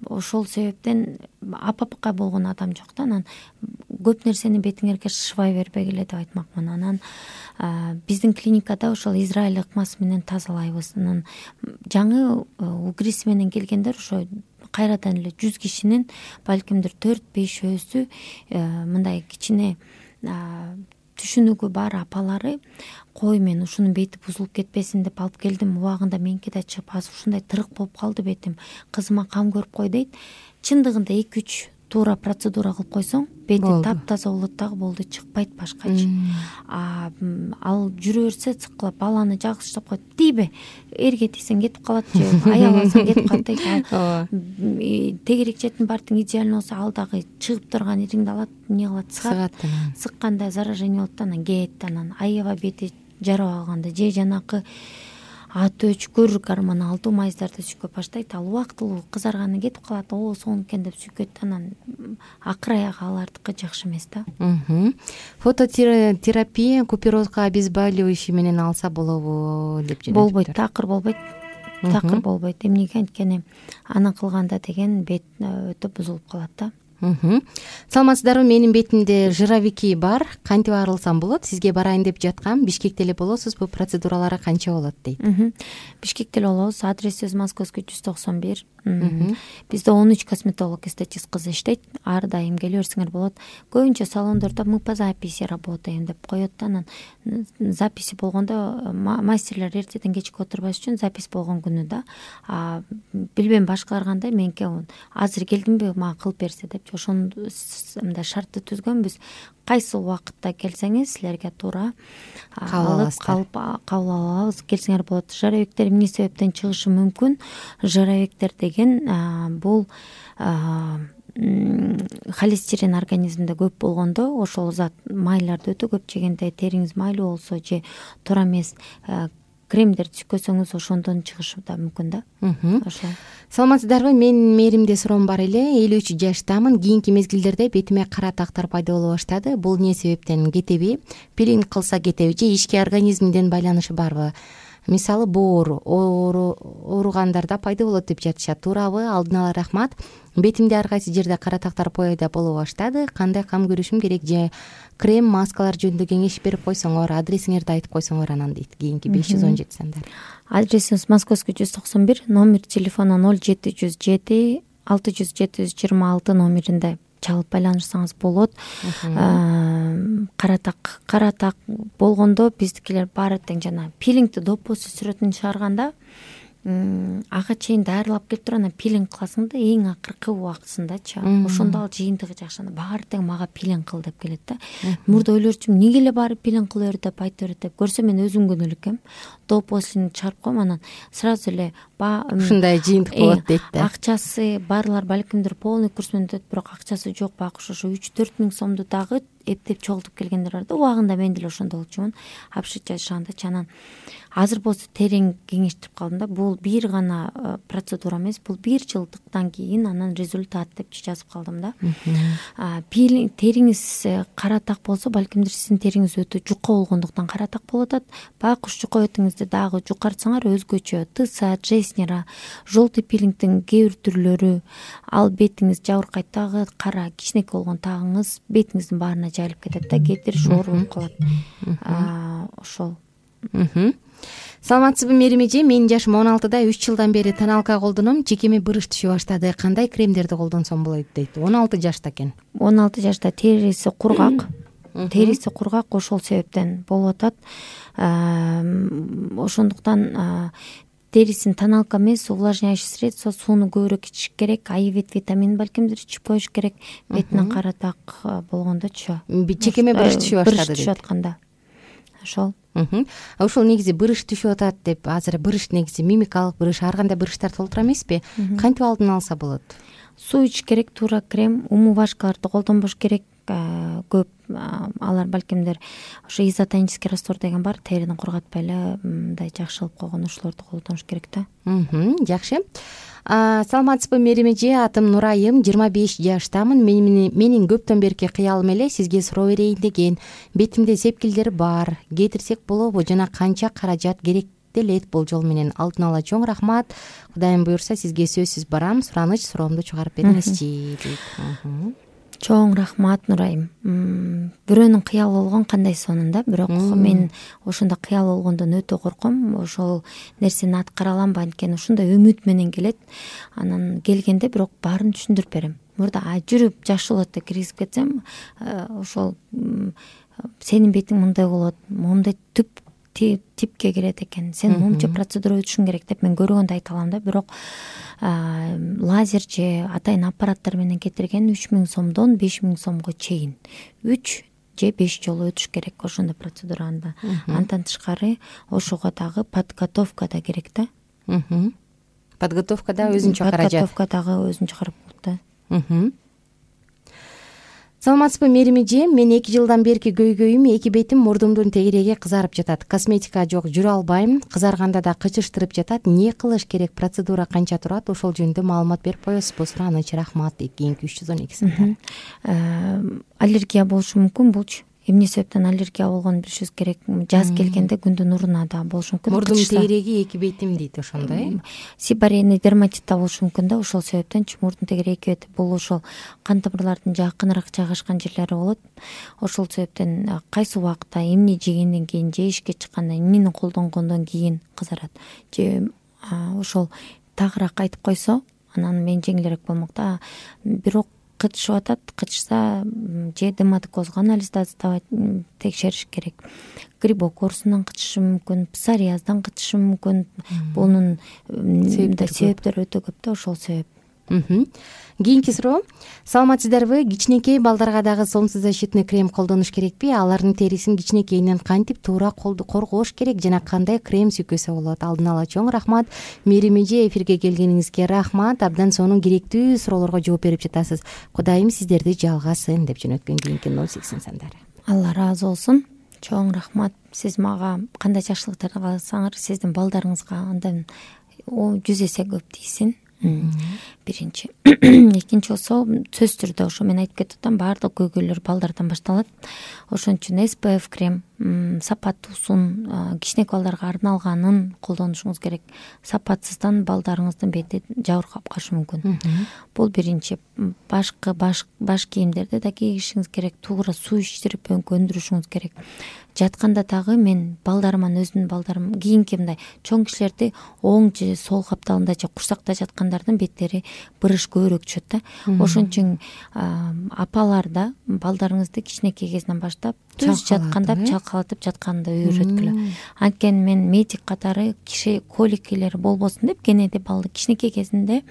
ошол себептен апапка болгон адам жок да. Анан көп нерсени бетиңерге шышбай бербегиле деп айтмакмын. Анан биздин клиникада ошол израиль ыкмасы менен тазалайбыз. Анан жаңы угриси менен келгендер ошо кайрадан эле жүз кишинин балкимдир төрт бешөөсү мындай кичине түшүнүгү бар апалары кой мен ушунун бети бузулуп кетпесин деп алып келдим, убагында меники да чыгып азыр ушундай тырык болуп калды бетим, кызыма кам көрүп кой дейт. Чындыгында эки үч туура процедура кылып койсоң бети таптаза болот дагы, болду, чыкпайт башкачы. А ал жүрө берсе цыккылап баланы жагыштап коет. Тийбе, эрге тийсең кетип калат же аял алсаң кетип калат дейт. Тегерек четин бартың идеально болсо ал дагы чыгып турган ириңди алат, эмне кылат, сыгат. Сыкканда заражение болот да, анан кет, анан аябай бети жарап алганда же жанакы ат өчкүр гормон алуу майыздарды сүйкөп баштайт. Ал убактылуу кызарганы кетип калат, о сонун экен деп сүйкөт, анан акыр аягы алардыкы жакшы эмес да. Фототерапия куперозго обезболивающий менен алса болобу деп жүрөт. Болбойт, такыр болбойт. Такыр болбойт. Эмнеге? Анткени аны кылганда деген бет өтө бузулуп калат да. Саламатсыздарбы? Менин бетимде жировики бар. Кантип арылсам болот? Сизге барайын деп жаткам. Бишкекте эле болосузбу? Процедуралары канча болот дейт. Бишкекте эле болобуз. Адресибиз Московский жүз токсон бир. Бизде он үч косметолог, эстетист кыз иштейт. Ар дайым келе берсеңер болот. Көбүнчө салондордо мы по записи работаем деп коет да. Анан записи болгондо мастерлер эртеден кечке отурбаш үчүн запись болгон күнү да. А билбейм башкалар кандай, меники азыр келдимби, мага кылып берсе деп ошондо мындай шартты түзгөнбүз. Кайсы убакытта келсеңиз силерге туура алып калып кабыл алабыз, келсеңер болот. Жировиктер эмне себептен чыгышы мүмкүн? Жировиктер деген бул холестерин организмде көп болгондо, ошол зат майларды өтө көп жегенде, териңиз майлуу болсо же туура эмес кремдерди сүйкөсөңүз ошондон чыгышы да мүмкүн да. Ошол. Саламатсыздарбы? Менин мээримде суроом бар эле. элүү үч жаштамын. Кийинки мезгилдерде бетиме кара тактар пайда боло баштады. Бул эмне себептен кетеби? Пилинг кылса кетеби же ички организмден байланышы барбы? Мисалы боор ооругандарда пайда болот деп жатышат. Туурабы? Алдын ала рахмат. Бетимде ар кайсы жерде кара тактар пайда боло баштады. Кандай кам көрүшүм керек же крем, маскалар жөнүндө кеңеш берип койсоңор, адресиңерди айтып койсоңор анан дейт. Кийинки беш жүз он жети сандар. Адресибиз Московский жүз токсон бир, номер телефону ноль жети жүз жети алты жүз жети жүз жыйырма алты номеринде чалып байланышсаңыз болот. Каратак, каратак болгондо биздикилер баары тең жана пилингди допусу сүрөтүн чыгарганда ага чейин даярдалып келип туруп анан пилинг кыласың да, эң акыркы убактысындачы. Ошондо ал жыйынтыгы жакшы. Баары тең мага пилинг кыл деп келет да. Мурда ойлорчумун, эмнеге эле баары пилинг кыла бер деп айта берет деп. Көрсөм мен өзүм күнөө элекем. Допусун чыгарып коем, анан сразу эле ушундай жыйынтык болот дейт да. Акчасы барлар балкимдир полный курс менен өтөт, бирок акчасы жок бакуш ошо үч төрт миң сомду дагы эптеп чогултуп келгендер бар да. Убагында мен деле ошондо болчумун. Апшыч жашаганда чанан азыр болсо терең кеңештирип калдым да. Бул бир гана процедура эмес, бул бир жылдыктан кийин анан результат деп жазып калдым да. Пилинг териңиз каратак болсо, балкимдир сиздин териңиз өтө жука болгондуктан каратак болуп атат. Бакуш жука бетиңизди дагы жукартсаңар өзгөчө тыса, джеснера, желтый пилингдин кээ бир түрлөрү, ал бетиңиз жабыркайт дагы, кара кичинекей болгон тагыңыз бетиңиздин баарына жайылып кетет да, кетир шоор болуп калат. Ошол. Саламатсызбы Мерим эже? Менин жашым он алтыда, үч жылдан бери тоналка колдоном, жекеме бырыш түшө баштады. Кандай кремдерди колдонсом болот дейт. он алты жашта экен. он алты жашта териси кургак. Териси кургак, ошол себептен болуп атат. Ошондуктан терисин тоналка эмес, увлажняющий средство, сууну көбүрөөк ичиш керек, айвит витамин балкимдир ичип коюш керек. Бетинен каратак болгондочу. Жекеме бырыш түшө баштады дейт. Түшүп атканда. Ошол. Ошол негизи бырыш түшүп атат деп, азыр бырыш негизи мимикалык бырыш, ар кандай бырыштар толтура эмеспи? Кантип алдын алса болот? Суу ичиш керек, туура крем, умывашкаларды колдонбош керек. Көп алар балкимдер ошо изотонический раствор деген бар, терини кургатпай эле мындай жакшы кылып койгон, ошолорду колдонуш керек да. Жакшы. Саламатсызбы Мерим эже? Атым Нурайым, жыйырма беш жаштамын. Менин көптөн берки кыялым эле сизге суроо берейин деген. Бетимде сепкилдер бар. Кетирсек болобу жана канча каражат керек делет болжол менен? Алдын ала чоң рахмат. Кудайым буйрса сизге сөзсүз барам. Сураныч суроомду чыгарып бериңизчи дейт. Чоң рахмат Нурайым. Бирөөнүн кыялы болгон кандай сонунда, бирок мен ошондо кыял болгондон өтө корком. Ошол нерсени аткара аламбы, анткени ушундай үмүт менен келет. Анан келгенде бирок баарын түшүндүрүп берем. Мурда жүрүп жакшы болот деп киргизип кетсем, ошол сенин бетиң мындай болот, моундай түп типке кирет экен, сен момчу процедура өтүшүң керек деп мен көргөндө айта алам да. Бирок лазер же атайын аппараттар менен кетирген үч миң сомдон беш миң сомго чейин үч же беш жолу өтүш керек ошондой процедураны. Андан тышкары ошого дагы подготовка да керек да. Подготовка да өзүнчө каражат. Подготовка дагы өзүнчө карап болот да. Саламатсызбы Мерим эже, мен эки жылдан берки көйгөйүм, эки бетим, мурдумдун тегереги кызарып жатат. Косметика жок, жүрө албайм, кызарганда да кычыштырып жатат. Эмне кылыш керек? Процедура канча турат? Ошол жөнүндө маалымат берип коесузбу? Сураныч, рахмат. Кийинки үч жүз он эки сантар. Аллергия болушу мүмкүн булчу. Эмне себептен аллергия болгонун билишибиз керек. Жаз келгенде күндүн нуруна да болушу мүмкүн. Мурдум тегереги эки бетим дейт, ошондой. Сибарейный дерматит да болушу мүмкүн да. Ошол себептен мурдун тегереги эки бет. Бул ошол кан тамырлардын жакыныраак жайгашкан жерлери болот. Ошол себептен кайсы убакта эмне жегенден кийин же ишке чыкканда эмнени колдонгондон кийин кызарат. Же ошол тагыраак айтып койсо, анан мен жеңилирээк болмок да. Бирок кычышып атат, кычышса же дерматокозго анализ текшериш керек. Грибок оорусунан кычышы мүмкүн, псориаздан кычышы мүмкүн. Бунун себептери өтө көп да, ошол себеп. Кийинки суроо. Саламатсыздарбы? Кичинекей балдарга дагы солнцезащитный крем колдонуш керекпи? Алардын терисин кичинекейинен кантип туура коргош керек жана кандай крем сүйкөсө болот? Алдын ала чоң рахмат. Мерим эже, эфирге келгениңизге рахмат. Абдан сонун керектүү суроолорго жооп берип жатасыз. Кудайым сиздерди жалгасын деп жөнөткөн кийинки ноль сексен сандары. Алла ыраазы болсун. Чоң рахмат. Сиз мага кандай жакшылыктарды кылсаңыз, сиздин балдарыңызга андан жүз эсе көп тийсин. Биринчи. Экинчи болсо, сөзсүз түрдө ошо мен айтып кетип атам, баардык көйгөйлөр балдардан башталат. Ошон үчүн эс пэ эф крем, сапаттуусун, кичинекей балдарга арналганын колдонушуңуз керек. Сапатсыздан балдарыңыздын бети жабыркап калышы мүмкүн. Бул биринчи. Башкы баш баш кийимдерди да кийишиңиз керек, туура суу ичтирип көндүрүшүңүз керек. Жатканда дагы мен балдарыман өзүмдүн балдарым кийинки мындай чоң кишилерди оң же сол капталында же курсакта жаткандардын беттери бырыш көбүрөөк түшөт да. Ошон үчүн апалар да балдарыңызды кичинекей кезинен баштап түз жатканда чалкалатып жатканды үйрөткүлө. Анткени мен медик катары киши коликилер болбосун деп кенеди балды кичинекей кезинде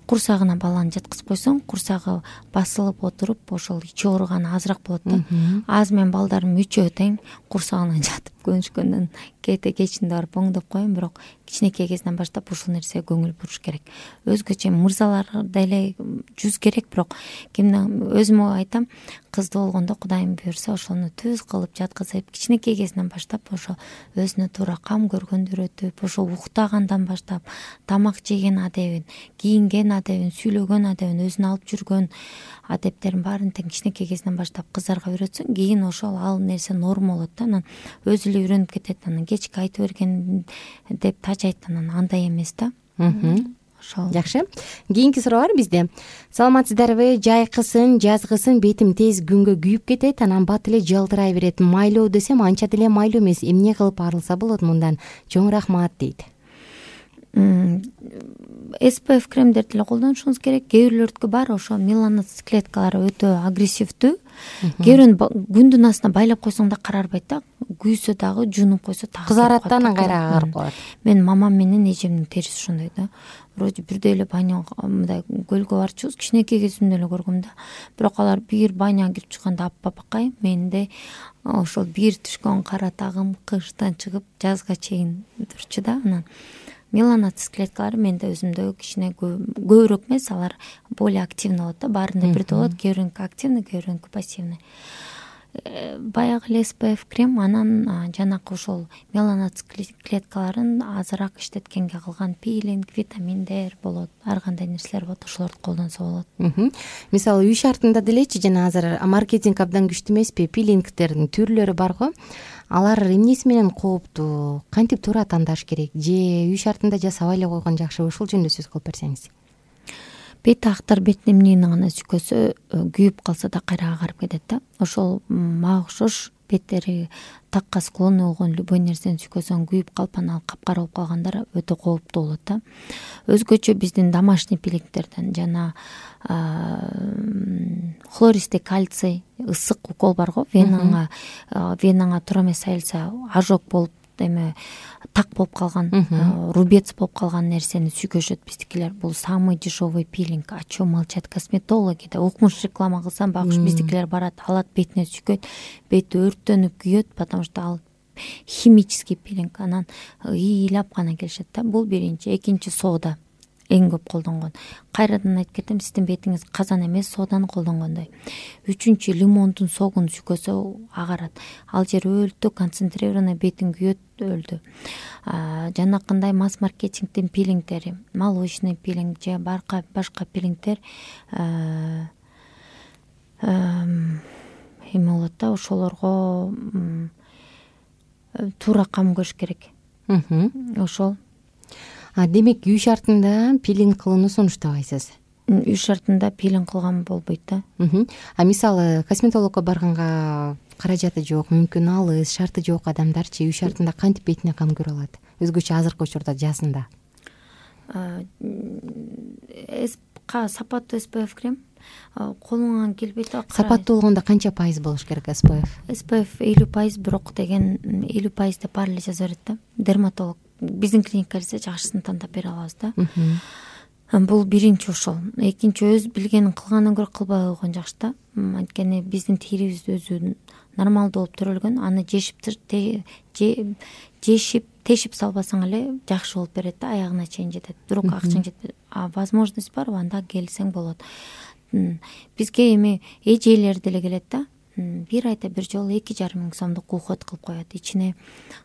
курсагына баланы жаткызып койсоң, курсагы басылып отуруп, ошол ичи ооруганы азыраак болот да. Азыр мен балдарым үчөө тең курсагына жатып көнүшкөндөн кете кечинде барып оңдоп коем, бирок кичинекей кезинен баштап ушул нерсеге көңүл буруш керек. Өзгөчө мырзалар деле жүз керек, бирок кимдин өзүмө айтам, кызды болгондо Кудайым буйрса ошону түз кылып жаткызып, кичинекей кезинен баштап ошо өзүнө туура кам көргөндү үйрөтүп, ошо уктагандан баштап тамак жеген адебин, кийинген адебин, сүйлөгөн адебин, өзүнө алып жүргөн адептерин баарын тең кичинекей кезинен баштап кыздарга үйрөтсөң, кийин ошол ал нерсе норма болот да. Анан өзү эле үйрөнүп кетет. Анан кечки айтып берген деп тажайт, анан андай эмес да. Жакшы. Кийинки суроо бар бизде. Саламатсыздарбы? Жайкысын, жазгысын бетим тез күнгө күйүп кетет, анан бат эле жалтырай берет. Майлоо десем анча деле майлуу эмес. Эмне кылып арылса болот мындан? Чоң рахмат дейт. эс пэ эф кремдерди эле колдонушуңуз керек. Кээ бирлөрдүкү бар ошо меланоцит клеткалары өтө агрессивдүү. Кээ бирөөнү күндүн астына байлап койсоң да карарбайт да. Күйсө дагы жуунуп койсо дагы кызарат да, анан кайра агарып калат. Мен мамам менен эжемдин териси ошондой да. Вроде бирдей эле баня мындай көлгө барчубуз, кичинекей кезимде эле көргөм да. Бирок алар бир баняга кирип чыкканда аппапакай, менде ошол бир түшкөн кара тагым кыштан чыгып жазга чейин турчу да. Анан меланоцит клеткалары менде өзүмдө кичине көбүрөөк эмес, алар более активный болот да. Баарында бирдей болот, кээ бирөөнүкү активный, кээ бирөөнүкү пассивный. Баягы эс пэ эф крем, анан жанакы ошол меланоцит клеткаларын азыраак иштеткенге кылган пилинг, витаминдер болот, ар кандай нерселер болот, ошолорду колдонсо болот. Мисалы үй шартында делечи, жана азыр маркетинг абдан күчтүү эмеспи, пилингдердин түрлөрү бар го. Алар эмнеси менен кооптуу, кантип туура тандаш керек, же үй шартында жасабай эле койгон жакшыбы? Ушул жөнүндө сөз кылып берсеңиз. Бет актар беттин эмнени гана сүйкөсө, күйүп калса да кайра агарып кетет да. Ошол мага окшош беттери такка склонный болгон любой нерсени сүйкөсөң күйүп калып, анан капкара болуп калгандар өтө кооптуу болот да. Өзгөчө биздин домашний пилингдерден жана хлористый кальций ысык укол барго, венаңа венаңа туура эмес сайылса ожог болуп эме так болуп калган, рубец болуп калган нерсени сүйкөшөт биздикилер. Бул самый дешевый пилинг. О чем молчат косметологи? Да укмуш реклама кылсам багыш биздикилер барат, алат, бетине сүйкөйт, бети өрттөнүп күйөт, потому что ал химический пилинг. Анан ыйлап гана келишет да. Бул биринчи. Экинчи сода эң көп колдонгон. Кайрадан айтып кетем, сиздин бетиңиз казан эмес, соданы колдонгондой. Үчүнчү, лимондун согун сүйкөсө агарат. Ал жер өлтү, концентрированный бетиң күйөт, өлдү. Жанакындай масс маркетингдин пилингдери, молочный пилинг же барка башка пилингдер эме болот да, ошолорго туура кам көрүш керек. Ошол. Демек үй шартында пилинг кылууну сунуштабайсыз? Үй шартында пилинг кылган болбойт да. А мисалы косметологко барганга каражаты жок, мүмкүн алыс, шарты жок адамдарчы үй шартында кантип бетине кам көрө алат? Өзгөчө азыркы учурда жазында. Сапаттуу эс пэ эф крем колуңан келбейт да. Сапаттуу болгондо канча пайыз болуш керек эс пэ эф? эс пэ эф элүү пайыз, бирок деген элүү пайыз деп баары эле жаза берет да. Дерматолог биздин клиникага келсе жакшысын тандап бере алабыз да. Бул биринчи ошол. Экинчи, өз билгенин кылгандан көрө кылбай койгон жакшы да. Анткени биздин терибиз өзү нормалдуу болуп төрөлгөн. Аны жешип жешип тешип салбасаң эле жакшы болуп берет да, аягына чейин жетет. Бирок акчаң жетпейт. А возможность бар, анда келсең болот. Бизге эми эжелер деле келет да. Бир айда бир жолу эки жарым миң сомдук уход кылып коет. Ичине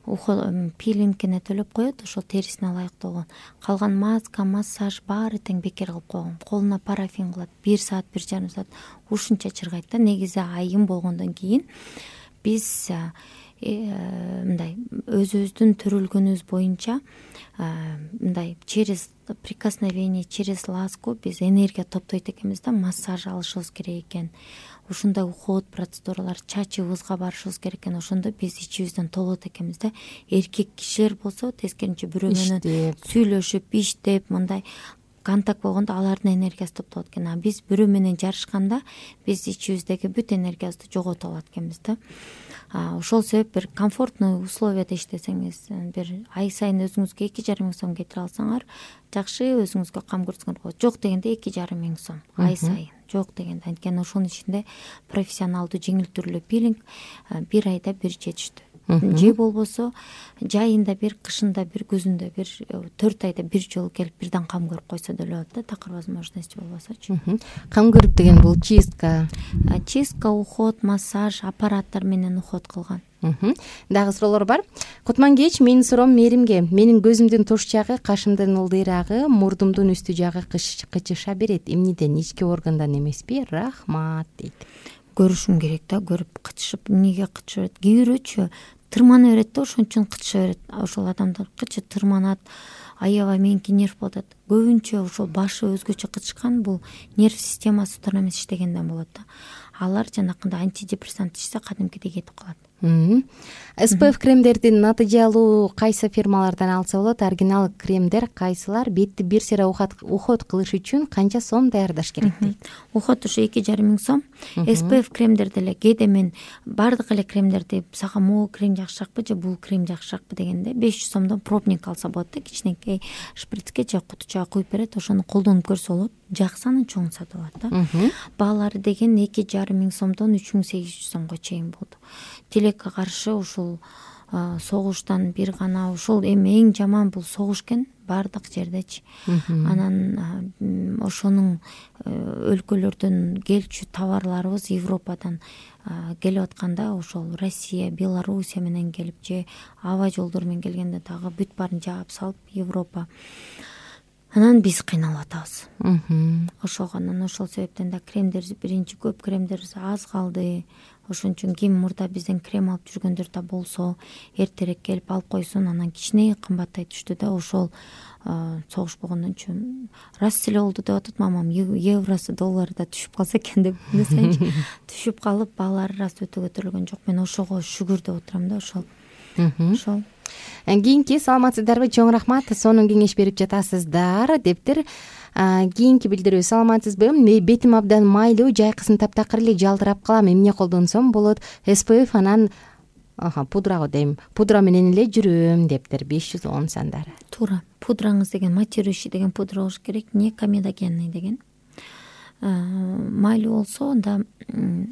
пилингине төлөп коет, ошол терисине ылайыктуу. Калган маска, массаж баары тең бекер кылып койгон. Колуна парафин кылат, бир саат, бир жарым саат ушунча чыргайт да. Негизи айым болгондон кийин биз мындай өзүбүздүн төрөлгөнүбүз боюнча мындай через прикосновение, через ласку биз энергия топтойт экенбиз да, массаж алышыбыз керек экен. Ушундай уход процедуралар, чачыбызга барышыбыз керек экен. Ошондо биз ичибизден толот экенбиз да. Эркек кишилер болсо тескеринче бирөө менен сүйлөшүп, иштеп, мындай контакт болгондо алардын энергиясы топтолот экен. А биз бирөө менен жарышканда биз ичибиздеги бүт энергиябызды жогото алат экенбиз да. Ошол себеп бир комфортный условияда иштесеңиз, бир ай сайын өзүңүзгө эки жарым миң сом кетире алсаңар, жакшы өзүңүзгө кам көрсөңөр болот. Жок дегенде эки жарым миң сом ай сайын. Жок дегенде, анткени ошонун ичинде профессионалдуу жеңил түрлүү пилинг бир айда бир жетиштүү. Же болбосо жайында бир, кышында бир, күзүндө бир, төрт айда бир жолу келип бирден кам көрүп койсо деле болот да, такыр возможности болбосочу. Кам көрүп деген бул чистка, чистка, уход, массаж, аппараттар менен уход кылган. Дагы суроолор бар. Кутман кеч, менин суроом Меримге. Менин көзүмдүн туш жагы, кашымдын ылдыйрагы, мурдумдун үстү жагы кычыша берет. Эмнеден? Ички органдан эмеспи? Рахмат дейт. Көрүшүм керек да, көрүп кычышып, эмнеге кычыша берет? Кээ бирөөчү тырмана берет да, ошон үчүн кычыша берет. Ошол адамдар кычы тырманат, аябай меники нерв болот. Көбүнчө ошол башы өзгөчө кычышкан, бул нерв системасы туура эмес иштегенден болот да. Алар жанакындай антидепрессант ичсе кадимкидей кетип калат. эс пэ эф кремдердин натыйжалуу кайсы фирмалардан алса болот? Оригинал кремдер кайсылар? Бетти бир сыйра уход кылыш үчүн канча сом даярдаш керек дейт? Уход ушу эки жарым миң сом. эс пэ эф кремдер деле кээде мен бардык эле кремдерди сага могу крем жакшыракпы же бул крем жакшыракпы дегенде беш жүз сомдон пробник алса болот да, кичинекей шприцке же кутучага куюп берет, ошону колдонуп көрсө болот. Жаксы, анын чоң сатып алат да. Баалары деген эки жарым миң сомдон үч миң сегиз жүз сомго чейин болду. Тилекке каршы ушул согуштан бир гана, ушул эми эң жаман бул согуш экен баардык жердечи. Анан ошонун өлкөлөрдөн келчү товарларыбыз Европадан келип атканда, ошол Россия, Белоруссия менен келип же аба жолдору менен келгенде дагы бүт баарын жаап салып Европа. Анан биз кыйналып атабыз. Ошого анан ошол себептен да кремдер биринчи көп кремдерибиз аз калды. Ошон үчүн ким мурда бизден крем алып жүргөндөр да болсо, эртерээк келип алып койсун, анан кичине кымбаттай түштү да. Ошол согуш болгондон үчүн раз эле болду деп атат мамам, евросы, доллары да түшүп калса экен деп билсеңчи. Түшүп калып, баалары раз өтө көтөрүлгөн жок. Мен ошого шүгүр деп отурам да, ошол. Ошол. Кийинки саламатсыздарбы? Чоң рахмат, сонун кеңеш берип жатасыздар дептир. Кийинки билдирүү: саламатсызбы? Бетим абдан майлуу, жайкысын таптакыр эле жалтырап калам. эмне колдонсом болот? эс пэ эф анан пудрагы дейм. Пудра менен эле жүрөм дептир. беш жүз он сандары. Туура. Пудраңыз деген матирующий деген пудра болуш керек, не комедогенный деген. Майлуу болсо анда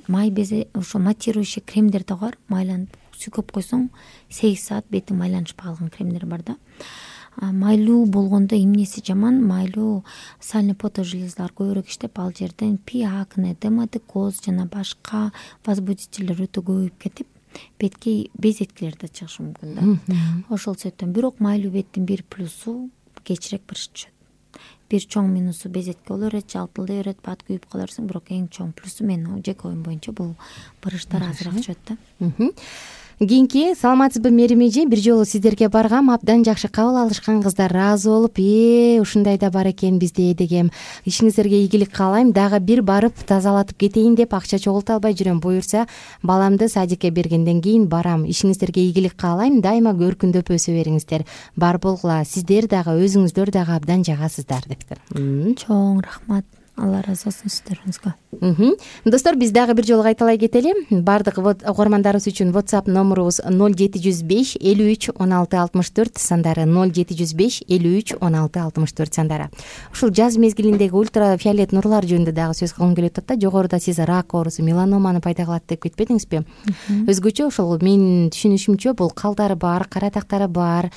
май безе ошо матирующий кремдер да бар. Майланып сүйкөп койсоң сегиз саат бетиң майланышпай калган кремдер бар да. Майлуу болгондо эмнеси жаман? Майлуу сальный фотожелезалар көбүрөөк иштеп, ал жерден пи акне, дерматокоз жана башка возбудительдер өтө көбөйүп кетип, бетке безеткилер да чыгышы мүмкүн да. Ошол себептен бирок майлуу беттин бир плюсу кечирээк бырыш түшөт. Бир чоң минусу безетке боло берет, жалтылдай берет, бат күйүп кала берсиң, бирок эң чоң плюсу менин жеке оюм боюнча бул бырыштар азыраак түшөт да. Кийинки: саламатсызбы Мерим эже? Бир жолу сиздерге баргам, абдан жакшы кабыл алышкан, кыздар ыраазы болуп, э ушундай да бар экен бизде дегем. Ишиңиздерге ийгилик каалайм. Дагы бир барып тазалатып кетейин деп акча чогулта албай жүрөм. Буюрса баламды садикке бергенден кийин барам. Ишиңиздерге ийгилик каалайм. Дайыма көркүндөп өсө бериңиздер. Бар болгула. Сиздер дагы өзүңүздөр дагы абдан жагасыздар дептир. Чоң рахмат. Алла ыраазы болсун сиздерибизге. Достор, биз дагы бир жолу кайталай кетели. Бардык угармандарыбыз үчүн WhatsApp номурубуз ноль жети жүз беш элүү үч он алты алтымыш төрт сандары, ноль жети жүз беш элүү үч он алты алтымыш төрт сандары. Ушул жаз мезгилиндеги ультрафиолет нурлар жөнүндө дагы сөз кылгым келип атат да. Жогоруда сиз рак оорусу, меланоманы пайда кылат деп кетпедиңизби? Өзгөчө ошол менин түшүнүшүмчө бул калдары бар, каратактары бар,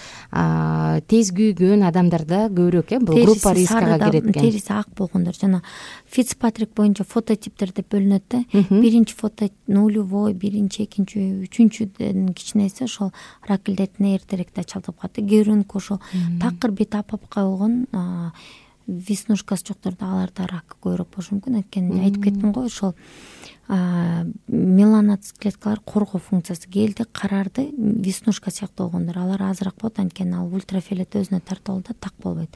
тез күйгөн адамдарда көбүрөөк э бул группа рискага кирет экен. Териси ак болгондор жана Фицпатрик боюнча фототиптер деп бөлүнөт да. Биринчи фото нулевой, биринчи, экинчи, үчүнчүдөн кичинеси ошол рак илдетине эртерээк да чалдыгып калат. Кээ бирөөнүкү ошол такыр бет апапка болгон веснушкасы жокторду аларда рак көбүрөөк болушу мүмкүн. Анткени айтып кеттим го, ошол меланоц клеткалар коргоо функциясы келди, карарды, веснушка сыяктуу болгондор алар азыраак болот. Анткени ал ультрафиолет өзүнө тартып алат да, так болбойт.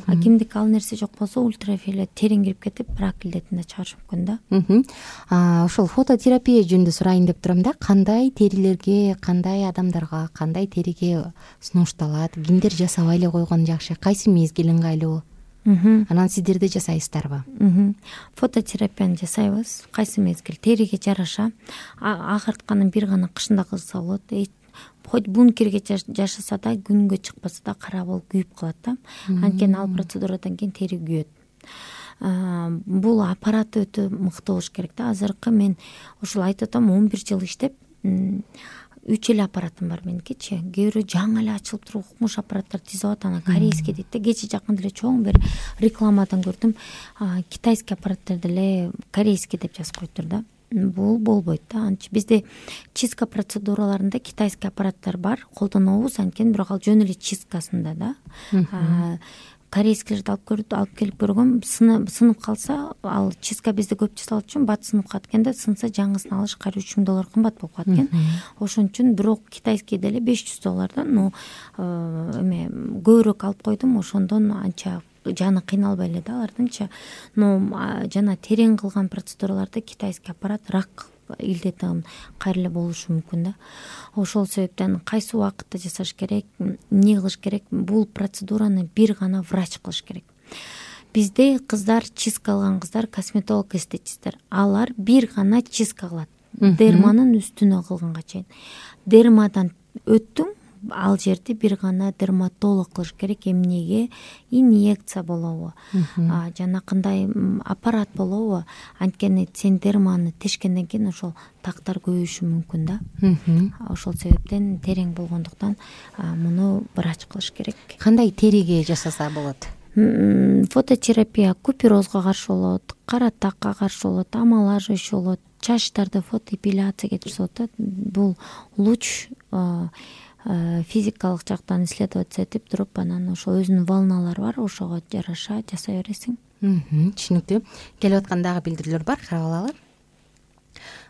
А кимдики ал нерсе жок болсо, ультрафиолет терең кирип кетип, рак илдетин да чыгарышы мүмкүн да. Ошол фототерапия жөнүндө сурайын деп турам да. Кандай терилерге, кандай адамдарга, кандай териге сунушталат? Кимдер жасабай эле койгон жакшы? Кайсы мезгил ыңгайлуу? Анан сиздерде жасайсыздарбы? Фототерапияны жасайбыз. Кайсы мезгил териге жараша. Агыртканын бир гана кышында кылса болот. Хоть бункерге жашаса да, күнгө чыкпаса да кара болуп күйүп калат да. Анткени ал процедурадан кийин тери күйөт. Бул аппарат өтө мыкты болуш керек да. Азыркы мен ошол айтып атам, он бир жыл иштеп, үч эле аппаратым бар меникичи. Кээ бирөө жаңы эле ачылып туруп укмуш аппараттар тизип атат, анан корейский дейт да. Кечээ жакында эле чоң бир рекламадан көрдүм. Китайский аппараттарды эле корейский деп жазып коюптур да. Бул болбойт да. Анчы бизде чистка процедураларында китайский аппараттар бар, колдонобуз. Анткени бирок ал жөн эле чисткасында да. Корейскилерди алып көрүп алып келип көргөм, сынып калса, ал чистка бизде көп жасалат үчүн бат сынып калат экен да. Сынса жаңысын алыш кайра үч миң доллар кымбат болуп калат экен. Ошон үчүн бирок китайский деле беш жүз доллардан, но эме көбүрөөк алып койдум. Ошондон анча жаны кыйналбай эле да алардыңчы. Но жана терең кылган процедураларда китайский аппарат рак илдетин кайра эле болушу мүмкүн да. Ошол себептен кайсы убакытта жасаш керек, эмне кылыш керек? Бул процедураны бир гана врач кылыш керек. Бизде кыздар, чистка алган кыздар, косметолог эстетисттер, алар бир гана чистка кылат. Дерманын үстүнө кылганга чейин. Дермадан өттүң, ал жерди бир гана дерматолог кылыш керек. Эмнеге? Инъекция болобу, жана кандай аппарат болобу? Анткени сен дерманы тешкенден кийин ошол тактар көбөйүшү мүмкүн да. Ошол себептен терең болгондуктан муну врач кылыш керек. Кандай териге жасаса болот? Фототерапия куперозго каршы болот, кара такка каршы болот, амалажыш болот, чачтарды фотоэпиляция кетирсе болот. Бул луч физикалык жактан исследоваться этип туруп, анан ошо өзүнүн волналары бар, ошого жараша жасай бересиң. Түшүнүктүү. Келип аткан дагы билдирүүлөр бар, карап алалы.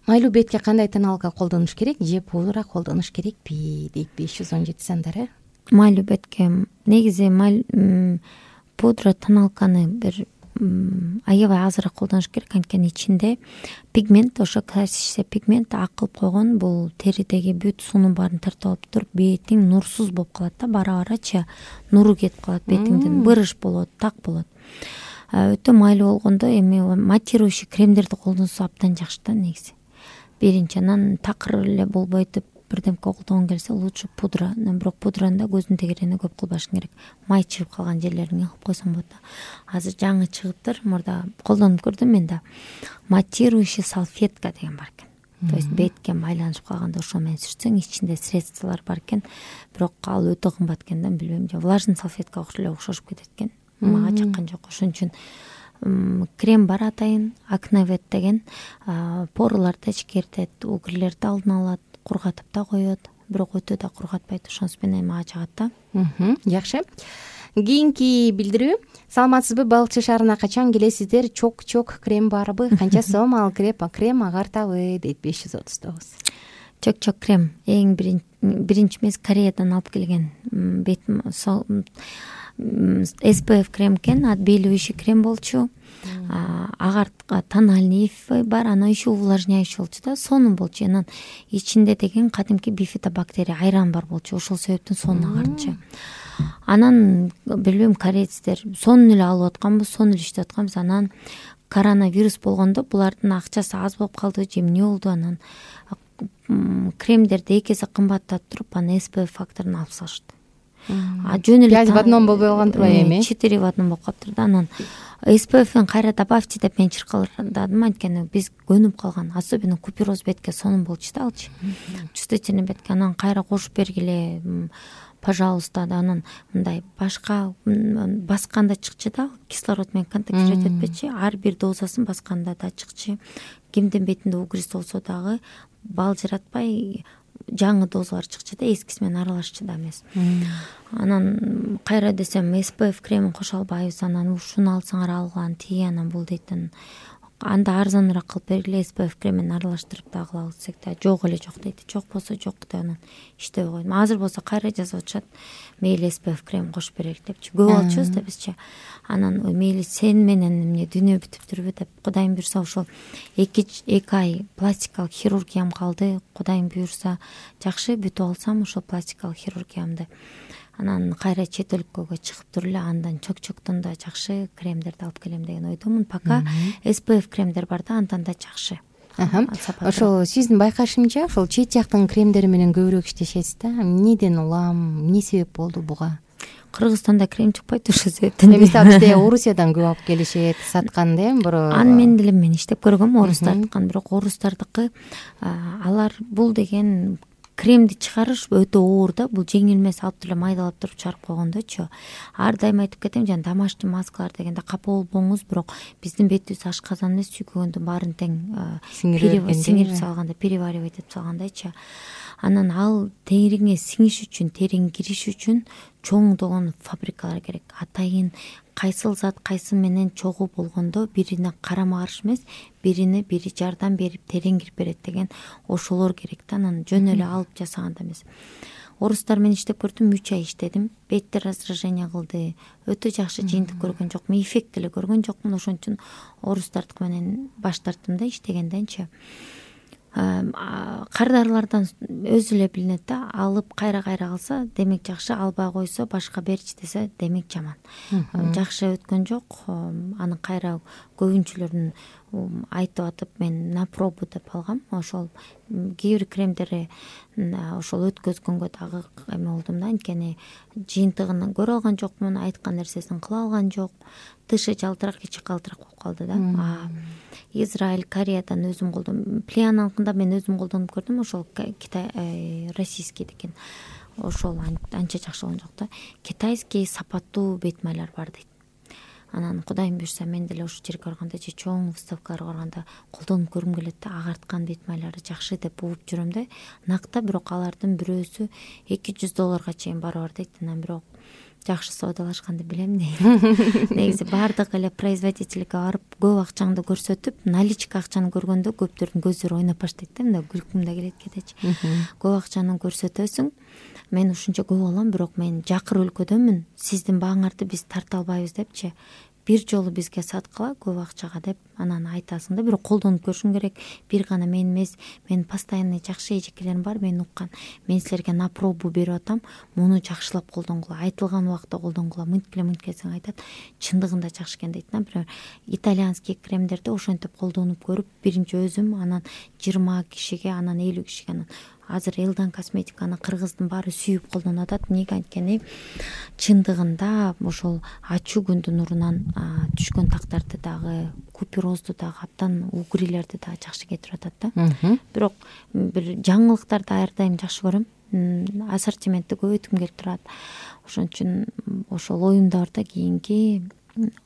Майлуу бетке кандай тоналка колдонуш керек же пудра колдонуш керекпи дейт беш жүз он жети сандары. Майлуу бетке негизи пудра тоналканы бир аябай азыраак колдонуш керек. Анткени ичинде пигмент, ошо классический пигмент акылып койгон, бул теридеги бүт суунун баарын тартып алып туруп, бетиң нурсуз болуп калат да. Бара барачы нуру кетип калат бетиңден, бырыш болот, так болот. өтө майлуу болгондо эми матирующий кремдерди колдонсо абдан жакшы да негизи. Биринчи, анан такыр эле болбойт деп бирдемке колдонгон келсе лучше пудра. Бирок пудраны да көздүн тегерене көп кылбашың керек. Май чыгып калган жерлерине кылып койсоң болот да. Азыр жаңы чыгыптыр, мурда колдонуп көрдүм мен да. Матирующий салфетка деген бар экен. То есть бетке майланышып калганда ошо менен сүртсөң ичинде средстволор бар экен. Бирок ал өтө кымбат экен да, билбейм. Влажный салфеткага эле окшошуп кетет экен. Мага чыккан жок. Ошон үчүн крем бар атайын, Акневет деген, порларды ичкертет, угрлерди алдын алат, кургатып да коет. Бирок өтө да кургатпайт, ошонусу менен мага жагат да. Жакшы. Кийинки билдирүү. Саламатсызбы? Балыкчы шаарына качан келесиздер? Чок-чок крем барбы? Канча сом ал крем? Крем агартабы? Дейт беш жүз отуз тогуз. Чок-чок крем эң биринчи эмес Кореядан алып келген бет эс пэ эф крем экен, отбеливающий крем болчу. Агартка тональный бар, анан еще увлажняющий болчу да, сонун болчу. Анан ичинде деген кадимки бифидобактерия айран бар болчу. Ошол себептен сонун агартчы. Анан билбейм, корейцтер сонун эле алып атканбыз, сонун эле иштеп атканбыз. Анан коронавирус болгондо булардын акчасы аз болуп калды, же эмне болду, анан кремдерди эки эсе кымбаттатып туруп, анан эс пэ эф факторун алып салышты. А жөн эле в одном болбой калган турбайбы эми? четыре в одном болуп калыптыр да. Анан эс пэ эфин кайра добавьте деп мен чыркалдадым, анткени биз көнүп калган, особенно купероз бетке сонун болчу да алчы. Чувствительный бетке анан кайра кошуп бергиле, пожалуйста да. Анан мындай башка басканда чыкчы да, кислород менен контактировать этпечи, ар бир дозасын басканда да чыкчы. Кимдин бетинде угриз болсо дагы балжыратпай жаңы дозалар чыкчы да, эскиси менен аралашчы да эмес. Анан кайра десем эс пэ эф кремин кошо албайбыз, анан ушуну алсаңар алган, тиги анан бул дейтин. Анда арзаныраак кылып бергиле, эс пэ эф кремин аралаштырып да кылабыз десек да, жок эле жок дейт. Жок болсо жок деп анан иштебей койдум. Азыр болсо кайра жазып атышат, мейли эс пэ эф крем кошуп берейик депчи. Көп алчубуз да бизчи. Анан мейли сен менен эмне дүйнө бүтүптүрбү деп, Кудайым буйрса ошол эки эки ай пластикалык хирургиям калды. Кудайым буйрса жакшы бүтүп алсам ошол пластикалык хирургиямды, анан кайра чет өлкөгө чыгып туруп эле андан чок-чоктон да жакшы кремдерди алып келем деген ойдомун. Пока эс пэ эф кремдер бар да, андан да жакшы. Ошол сиздин байкашыңча ошол чет жактын кремдери менен көбүрөөк иштешесиз да. Эмнеден улам, эмне себеп болду буга? Кыргызстанда крем чыкпайт, ошол себептен. Мисалы бизде Орусиядан көп алып келишет, саткан да, эми бирөө. Аны мен деле мен иштеп көргөм, орустардыкын, бирок орустардыкы алар бул деген кремди чыгарыш өтө оор да, бул жеңил эмес, алып эле майдалап туруп чыгарып койгондочу. Ар дайым айтып кетем, жана домашний маскалар дегенде капа болбоңуз, бирок биздин бетибиз ашказан эмес, сүйкөгөндүн баарын тең сиңирип салганда, переваривать этип салгандайчы. Анан ал териңе сиңиш үчүн, териң кириш үчүн чоңдогон фабрикалар керек. Атайын кайсыл зат кайсы менен чогуу болгондо бирине карама каршы эмес, бирине бири жардам берип терең кирип берет деген ошолор керек да. Анан жөн эле алып жасаганда эмес. Орустар менен иштеп көрдүм, үч ай иштедим. Беттер раздражение кылды. Өтө жакшы жыйынтык көргөн жокмун, эффект деле көргөн жокмун. Ошон үчүн орустардык менен баш тарттым да иштегенденчи. Кардарылардан өзү эле билинет да, алып кайра-кайра алса демек жакшы, албай койсо башка берчи десе демек жаман. Жакшы өткөн жок, аны кайра көбүнчүлөрдүн айтып атып мен на пробу деп алгам. Ошол кээ бир кремдери ошол өткөзгөнгө дагы эме болдум да, анткени жыйынтыгын көрө алган жокмун, айткан нерсесин кыла алган жок. Тышы жалтырак, ичи калтырак болуп калды да. Израиль, Кореядан өзүм колдондум. Плеянаныкында мен өзүм колдонуп көрдүм, ошол Китай, российский деген. Ошол анча жакшы болгон жок да. Китайский сапаттуу бет майлар бар дейт. Анан Кудайым буйрса мен деле ошол жерге барганда же чоң выставкаларга барганда колдонуп көргүм келет да, агарткан бет майлары жакшы деп угуп жүрөм да. Накта бирок алардын бирөөсү эки жүз долларга чейин барып дейт. Анан бирок жакшы соодалашканды билем дейт. Негизи баардык эле производительге барып көп акчаңды көрсөтүп, наличка акчаны көргөндө көптөрдүн көздөрү ойноп баштайт да, мындай күлкүм да келет кетечи. Көп акчаны көрсөтөсүң, мен ушунча көп алам, бирок мен жакыр өлкөдөнмүн, сиздин бааңарды биз тарта албайбыз депчи. бир жолу бизге саткыла көп акчага деп анан айтасың да, бирок колдонуп көрүшүң керек. Бир гана мен эмес, менин постоянный жакшы эжекелерим бар, мен уккан. Мен силерге на пробу берип атам, муну жакшылап колдонгула, айтылган убакта колдонгула, мынткиле мынткилесең айтат, чындыгында жакшы экен дейт. Например, итальянский кремдерди ошентип колдонуп көрүп, биринчи өзүм, анан жыйырма кишиге, анан элүү кишиге, анан азыр Элдан косметиканы кыргыздын баары сүйүп колдонуп атат. Эмнеге анткени чындыгында ошол ачуу күндүн нурунан түшкөн тактарды дагы, куперозду дагы, абдан угрилерди дагы жакшы кетирип атат да. Бирок бир жаңылыктарды ар дайым жакшы көрөм. Ассортиментти көбөйткүм келип турат. Ошон үчүн ошол оюмда бар да, кийинки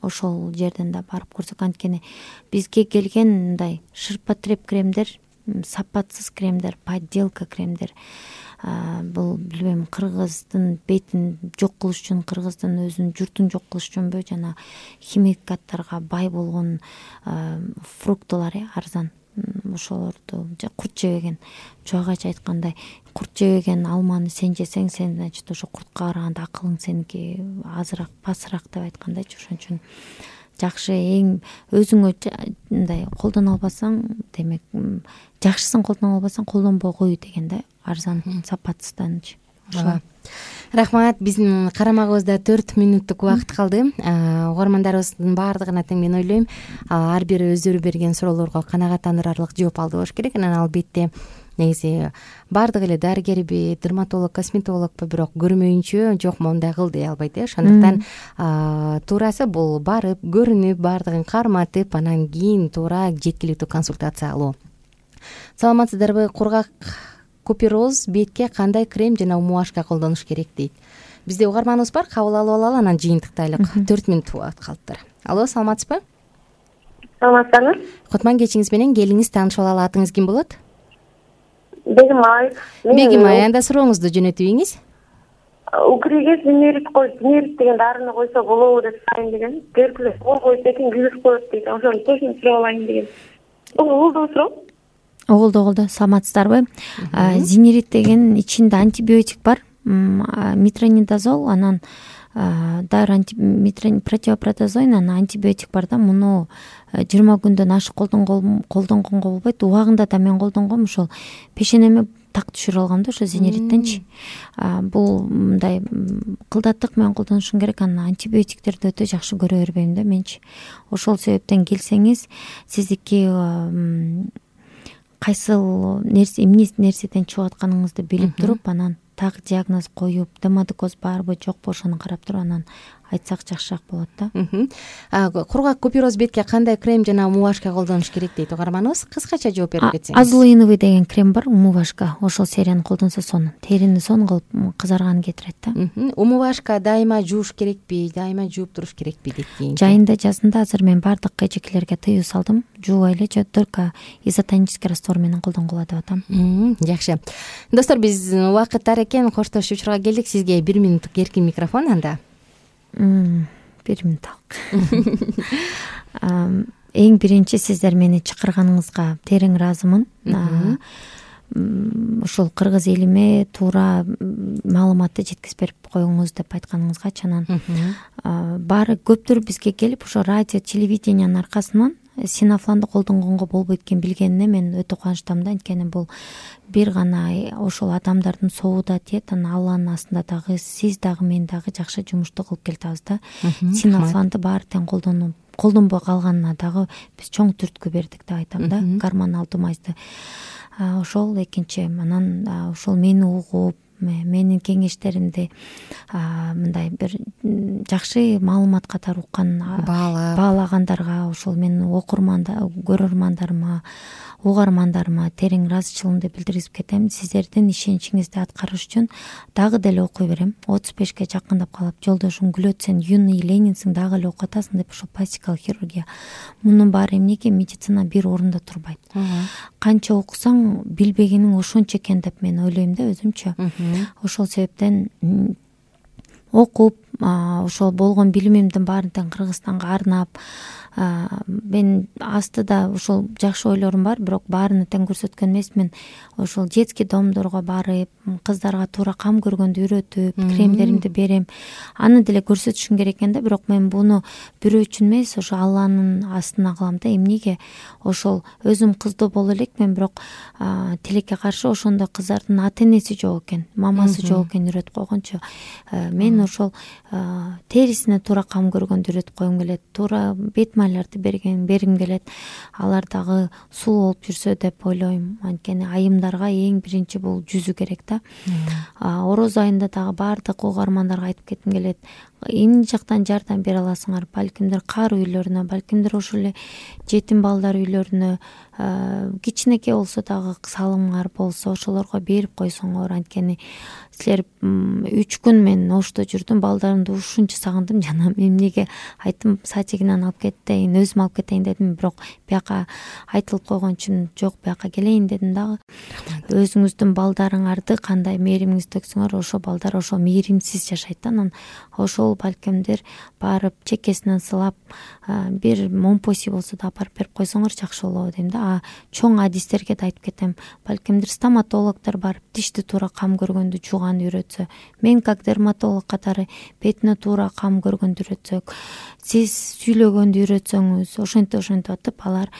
ошол жерден да барып көрсөк, анткени бизге келген мындай ширпотреб кремдер, сапатсыз кремдер, подделка кремдер, бул билбейм, кыргыздын бетин жок кылыш үчүн, кыргыздын өзүнүн журтун жок кылыш үчүнбү, жана химикаттарга бай болгон фруктылар, арзан, ошолорду курт жебеген, чогайчы айткандай, курт жебеген алманы сен жесең, сен значит ошо куртка караганда акылың сеники азыраак, пасыраак деп айткандайчы. Ошон үчүн жакшы, эң өзүңө мындай колдоно албасаң, демек жакшысын колдоно албасаң, колдонбой кой деген да, арзан, сапатсызданчы. Ошо. Рахмат. Биздин карамагыбызда төрт мүнөттүк убакыт калды. Угармандарыбыздын баардыгына тең мен ойлойм, ар бири өздөрү берген суроолорго канагаттандырарлык жооп алды болуш керек. Анан албетте негизи баардыгы эле дарыгерби, дерматолог, косметологпу, бирок көрмөйүнчө жок мондай кыл дей албайт э. Ошондуктан туурасы бул барып, көрүнүп, баардыгын карматып, анан кийин туура жеткиликтүү консультация алуу. Саламатсыздарбы? Кургак купероз бетке кандай крем жана умувашка колдонуш керек дейт. Бизде угарманыбыз бар, кабыл алып алалы, анан жыйынтыктайлык. төрт мүнөт убакыт калыптыр. Алло, саламатсызбы? Саламатсызбы? Кутман кечиңиз менен келиңиз, таанышып алалы. Атыңыз ким болот? Бегим Ай. Бегим Ай, анда сурооңузду жөнөтүңүз. Укриге зинерит кой, зинерит деген дарыны койсо болобу деп сурайын деген. Геркулес кол койсо экен вирус коет дейт. Ошону точно сурап алайын деген. Угулду суроо? Оголду, оголду. Саламатсыздарбы? Зинерит деген ичинде антибиотик бар, метронидазол, анан дары противопротозоин, анан антибиотик бар да. Муну жыйырма күндөн ашык колдонгонго болбойт. Убагында да мен колдонгом, ошол пешенеме так түшүрүп алгам да, ошо зинериттенчи. Бул мындай кылдаттык менен колдонушуң керек. Анан антибиотиктерди өтө жакшы көрө бербейм да менчи. Ошол себептен келсеңиз, сиздики кайсыл нерсе, эмне нерседен чыгып атканыңызды билип туруп, анан так диагноз коюп, демодикоз барбы жокпу ошону карап туруп анан айтсак жакшыраак болот да. Кургак купероз бетке кандай крем жана умувашка колдонуш керек дейт угарманыбыз. Кыскача жооп берип кетсеңиз. Азулиновый деген крем бар, умувашка. Ошол серияны колдонсо сонун, терини сонун кылып кызарган кетирет да. Умувашка дайыма жууш керекпи, дайыма жууп туруш керекпи дейт кийин. Жайында жазында азыр мен баардык эжекелерге тыюу салдым. Жуубай эле, только изотонический раствор менен колдонгула деп атам. Жакшы. Достор, биз убакыттар экен, коштошуу учурга келдик. Сизге бир мүнөттүк эркин микрофон анда. Бир минут Эң биринчи сиздер мени чакырганыңызга терең ыраазымын. Ошол кыргыз элиме туура маалыматты жеткизип берип коюңуз деп айтканыңызгачы, анан баары көптөр бизге келип, ошо радио, телевидениянын аркасынан синафланды колдонгонго болбойт экен билгенине мен өтө кубанычтамын да. Анткени бул бир гана ошол адамдардын собу да тиет, анан Алланын астында дагы сиз дагы мен дагы жакшы жумушту кылып келатабыз да. Синафланды баары тең колдонуп колдонбой калганына дагы биз чоң түрткү бердик деп айтам да, гормоналдуу мазды. Ошол экинчи, анан ошол мени угуп, менин кеңештеримди мындай бир жакшы маалымат катары уккан, баалагандарга, ошол менин окурмандар, көрөрмандарыма, угармандарыма терең ыраазычылыгымды билдиргизип кетем. Сиздердин ишеничиңизди аткарыш үчүн дагы деле окуй берем. отуз бешке жакындап калып, жолдошуң күлөт, сен юный ленинсиң, дагы эле окуп атасың деп, ошол пластикалык хирургия. Мунун баары эмнеге? Медицина бир орунда турбайт. Канча окусаң, билбегениң ошончо экен деп мен ойлойм да өзүмчө. Ошол себептен окуп, ошол болгон билимимдин баарын тең Кыргызстанга арнап, мен астыда ошол жакшы ойлорум бар, бирок баарына тең көрсөткөн эмесмин. Ошол детский домдорго барып, кыздарга туура кам көргөндү үйрөтүп, кремдеримди берем. Аны деле көрсөтүшүм керек экен да, бирок мен буну бирөө үчүн эмес, ошо Алланын астына кылам да. Эмнеге? Ошол өзүм кыздоо боло элекмин, бирок тилекке каршы ошондой кыздардын ата энеси жок экен, мамасы жок экен үйрөтүп койгончу. Мен ошол терисине туура кам көргөндү үйрөтүп койгум келет, туура бет майларды берген бергим келет. Алар дагы сулуу болуп жүрсө деп ойлойм. Анткени айымдарга эң биринчи бул жүзү керек да. Ороз айында дагы баардык угармандарга айтып кетким келет. Эмне жактан жардам бере аласыңар? Балкимдир кар үйлөрүнө, балкимдир ошол эле жетим балдар үйлөрүнө, кичинекей болсо дагы салымыңар болсо ошолорго берип койсоңор. Анткени силер үч күн мен ошто жүрдүм, балдарымды ушунча сагындым. Жана эмнеге айттым, садигинен алып кетейин, өзүм алып кетейин дедим, бирок бияка айтылып койгон үчүн жок, бияка келейин дедим дагы. Өзүңүздүн балдарыңарды кандай мээримиңизди төксөңөр, ошо балдар ошо мээримсиз жашайт да. Анан ошол балкимдир барып чекесинен сылап, бир момпоси болсо да апарып берип койсоңор жакшы болобу дейм да. А чоң адистерге да айтып кетем, балкимдир стоматологдор барып тишти туура кам көргөндү жууганды үйрөтсө, мен как дерматолог катары бетине туура кам көргөндү үйрөтсөк, сиз сүйлөгөндү үйрөтсөңүз, ошентип ошентип атып алар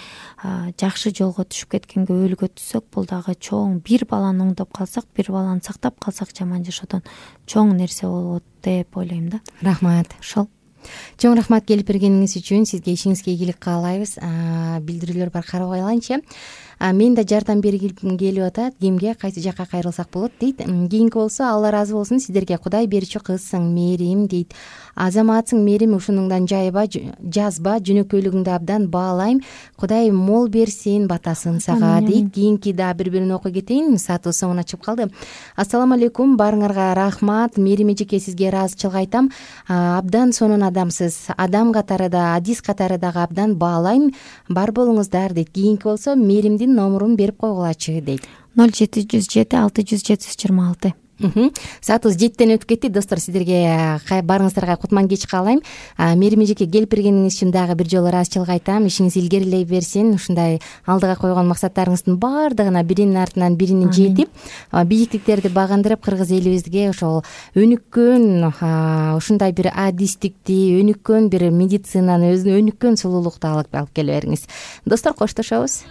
жакшы жолго түшүп кеткенге өөлгө түшсөк, бул дагы чоң. Бир баланы оңдоп калсак, бир баланы сактап калсак жаман жашоодон чоң нерсе болот деп ойлойм да. Рахмат. Ошол. Чоң рахмат келип бергениңиз үчүн. Сизге ишиңизге ийгилик каалайбыз. Билдирүүлөр бар, карап алайынчы. Мен да жардам бергим келип атат. Кимге, кайсы жакка кайрылсак болот дейт. Кийинки болсо, Алла ыраазы болсун, сиздерге Кудай берүүчү кызсың, мээрим дейт. Азаматсың, мээрим, ушунуңдан жайба, жазба, жөнөкөйлүгүңдү абдан баалайм. Кудай мол берсин, батасын сага дейт. Кийинки да бири-бирин окуп кетейин. Саатыбыз соңуна чыгып калды. Ассаламу алейкум, баарыңарга рахмат. Мээрим эжеке, сизге ыраазычылык айтам. Абдан сонун адамсыз. Адам катары да, адис катары дагы абдан баалайм. Бар болуңуздар дейт. Кийинки болсо, мээримдин номурун берип койгулачы дейт. ноль жети жүз жети алты жүз жети жүз жыйырма алты. Саатыбыз жетиден өтүп кетти. Достор, сиздерге баарыңыздарга кутман кеч каалайм. Мээрим эжеке, келип бергениңиз үчүн дагы бир жолу ыраазычылык айтам. Ишиңиз илгерилей берсин. Ушундай алдыга койгон максаттарыңыздын баардыгына биринин артынан бирини жетип, бийиктиктерди багындырып, кыргыз элибизге ошол өнүккөн, ушундай бир адистикти, өнүккөн бир медицинаны, өзүнө өнүккөн сулуулукту алып келе бериңиз. Достор, коштошобуз.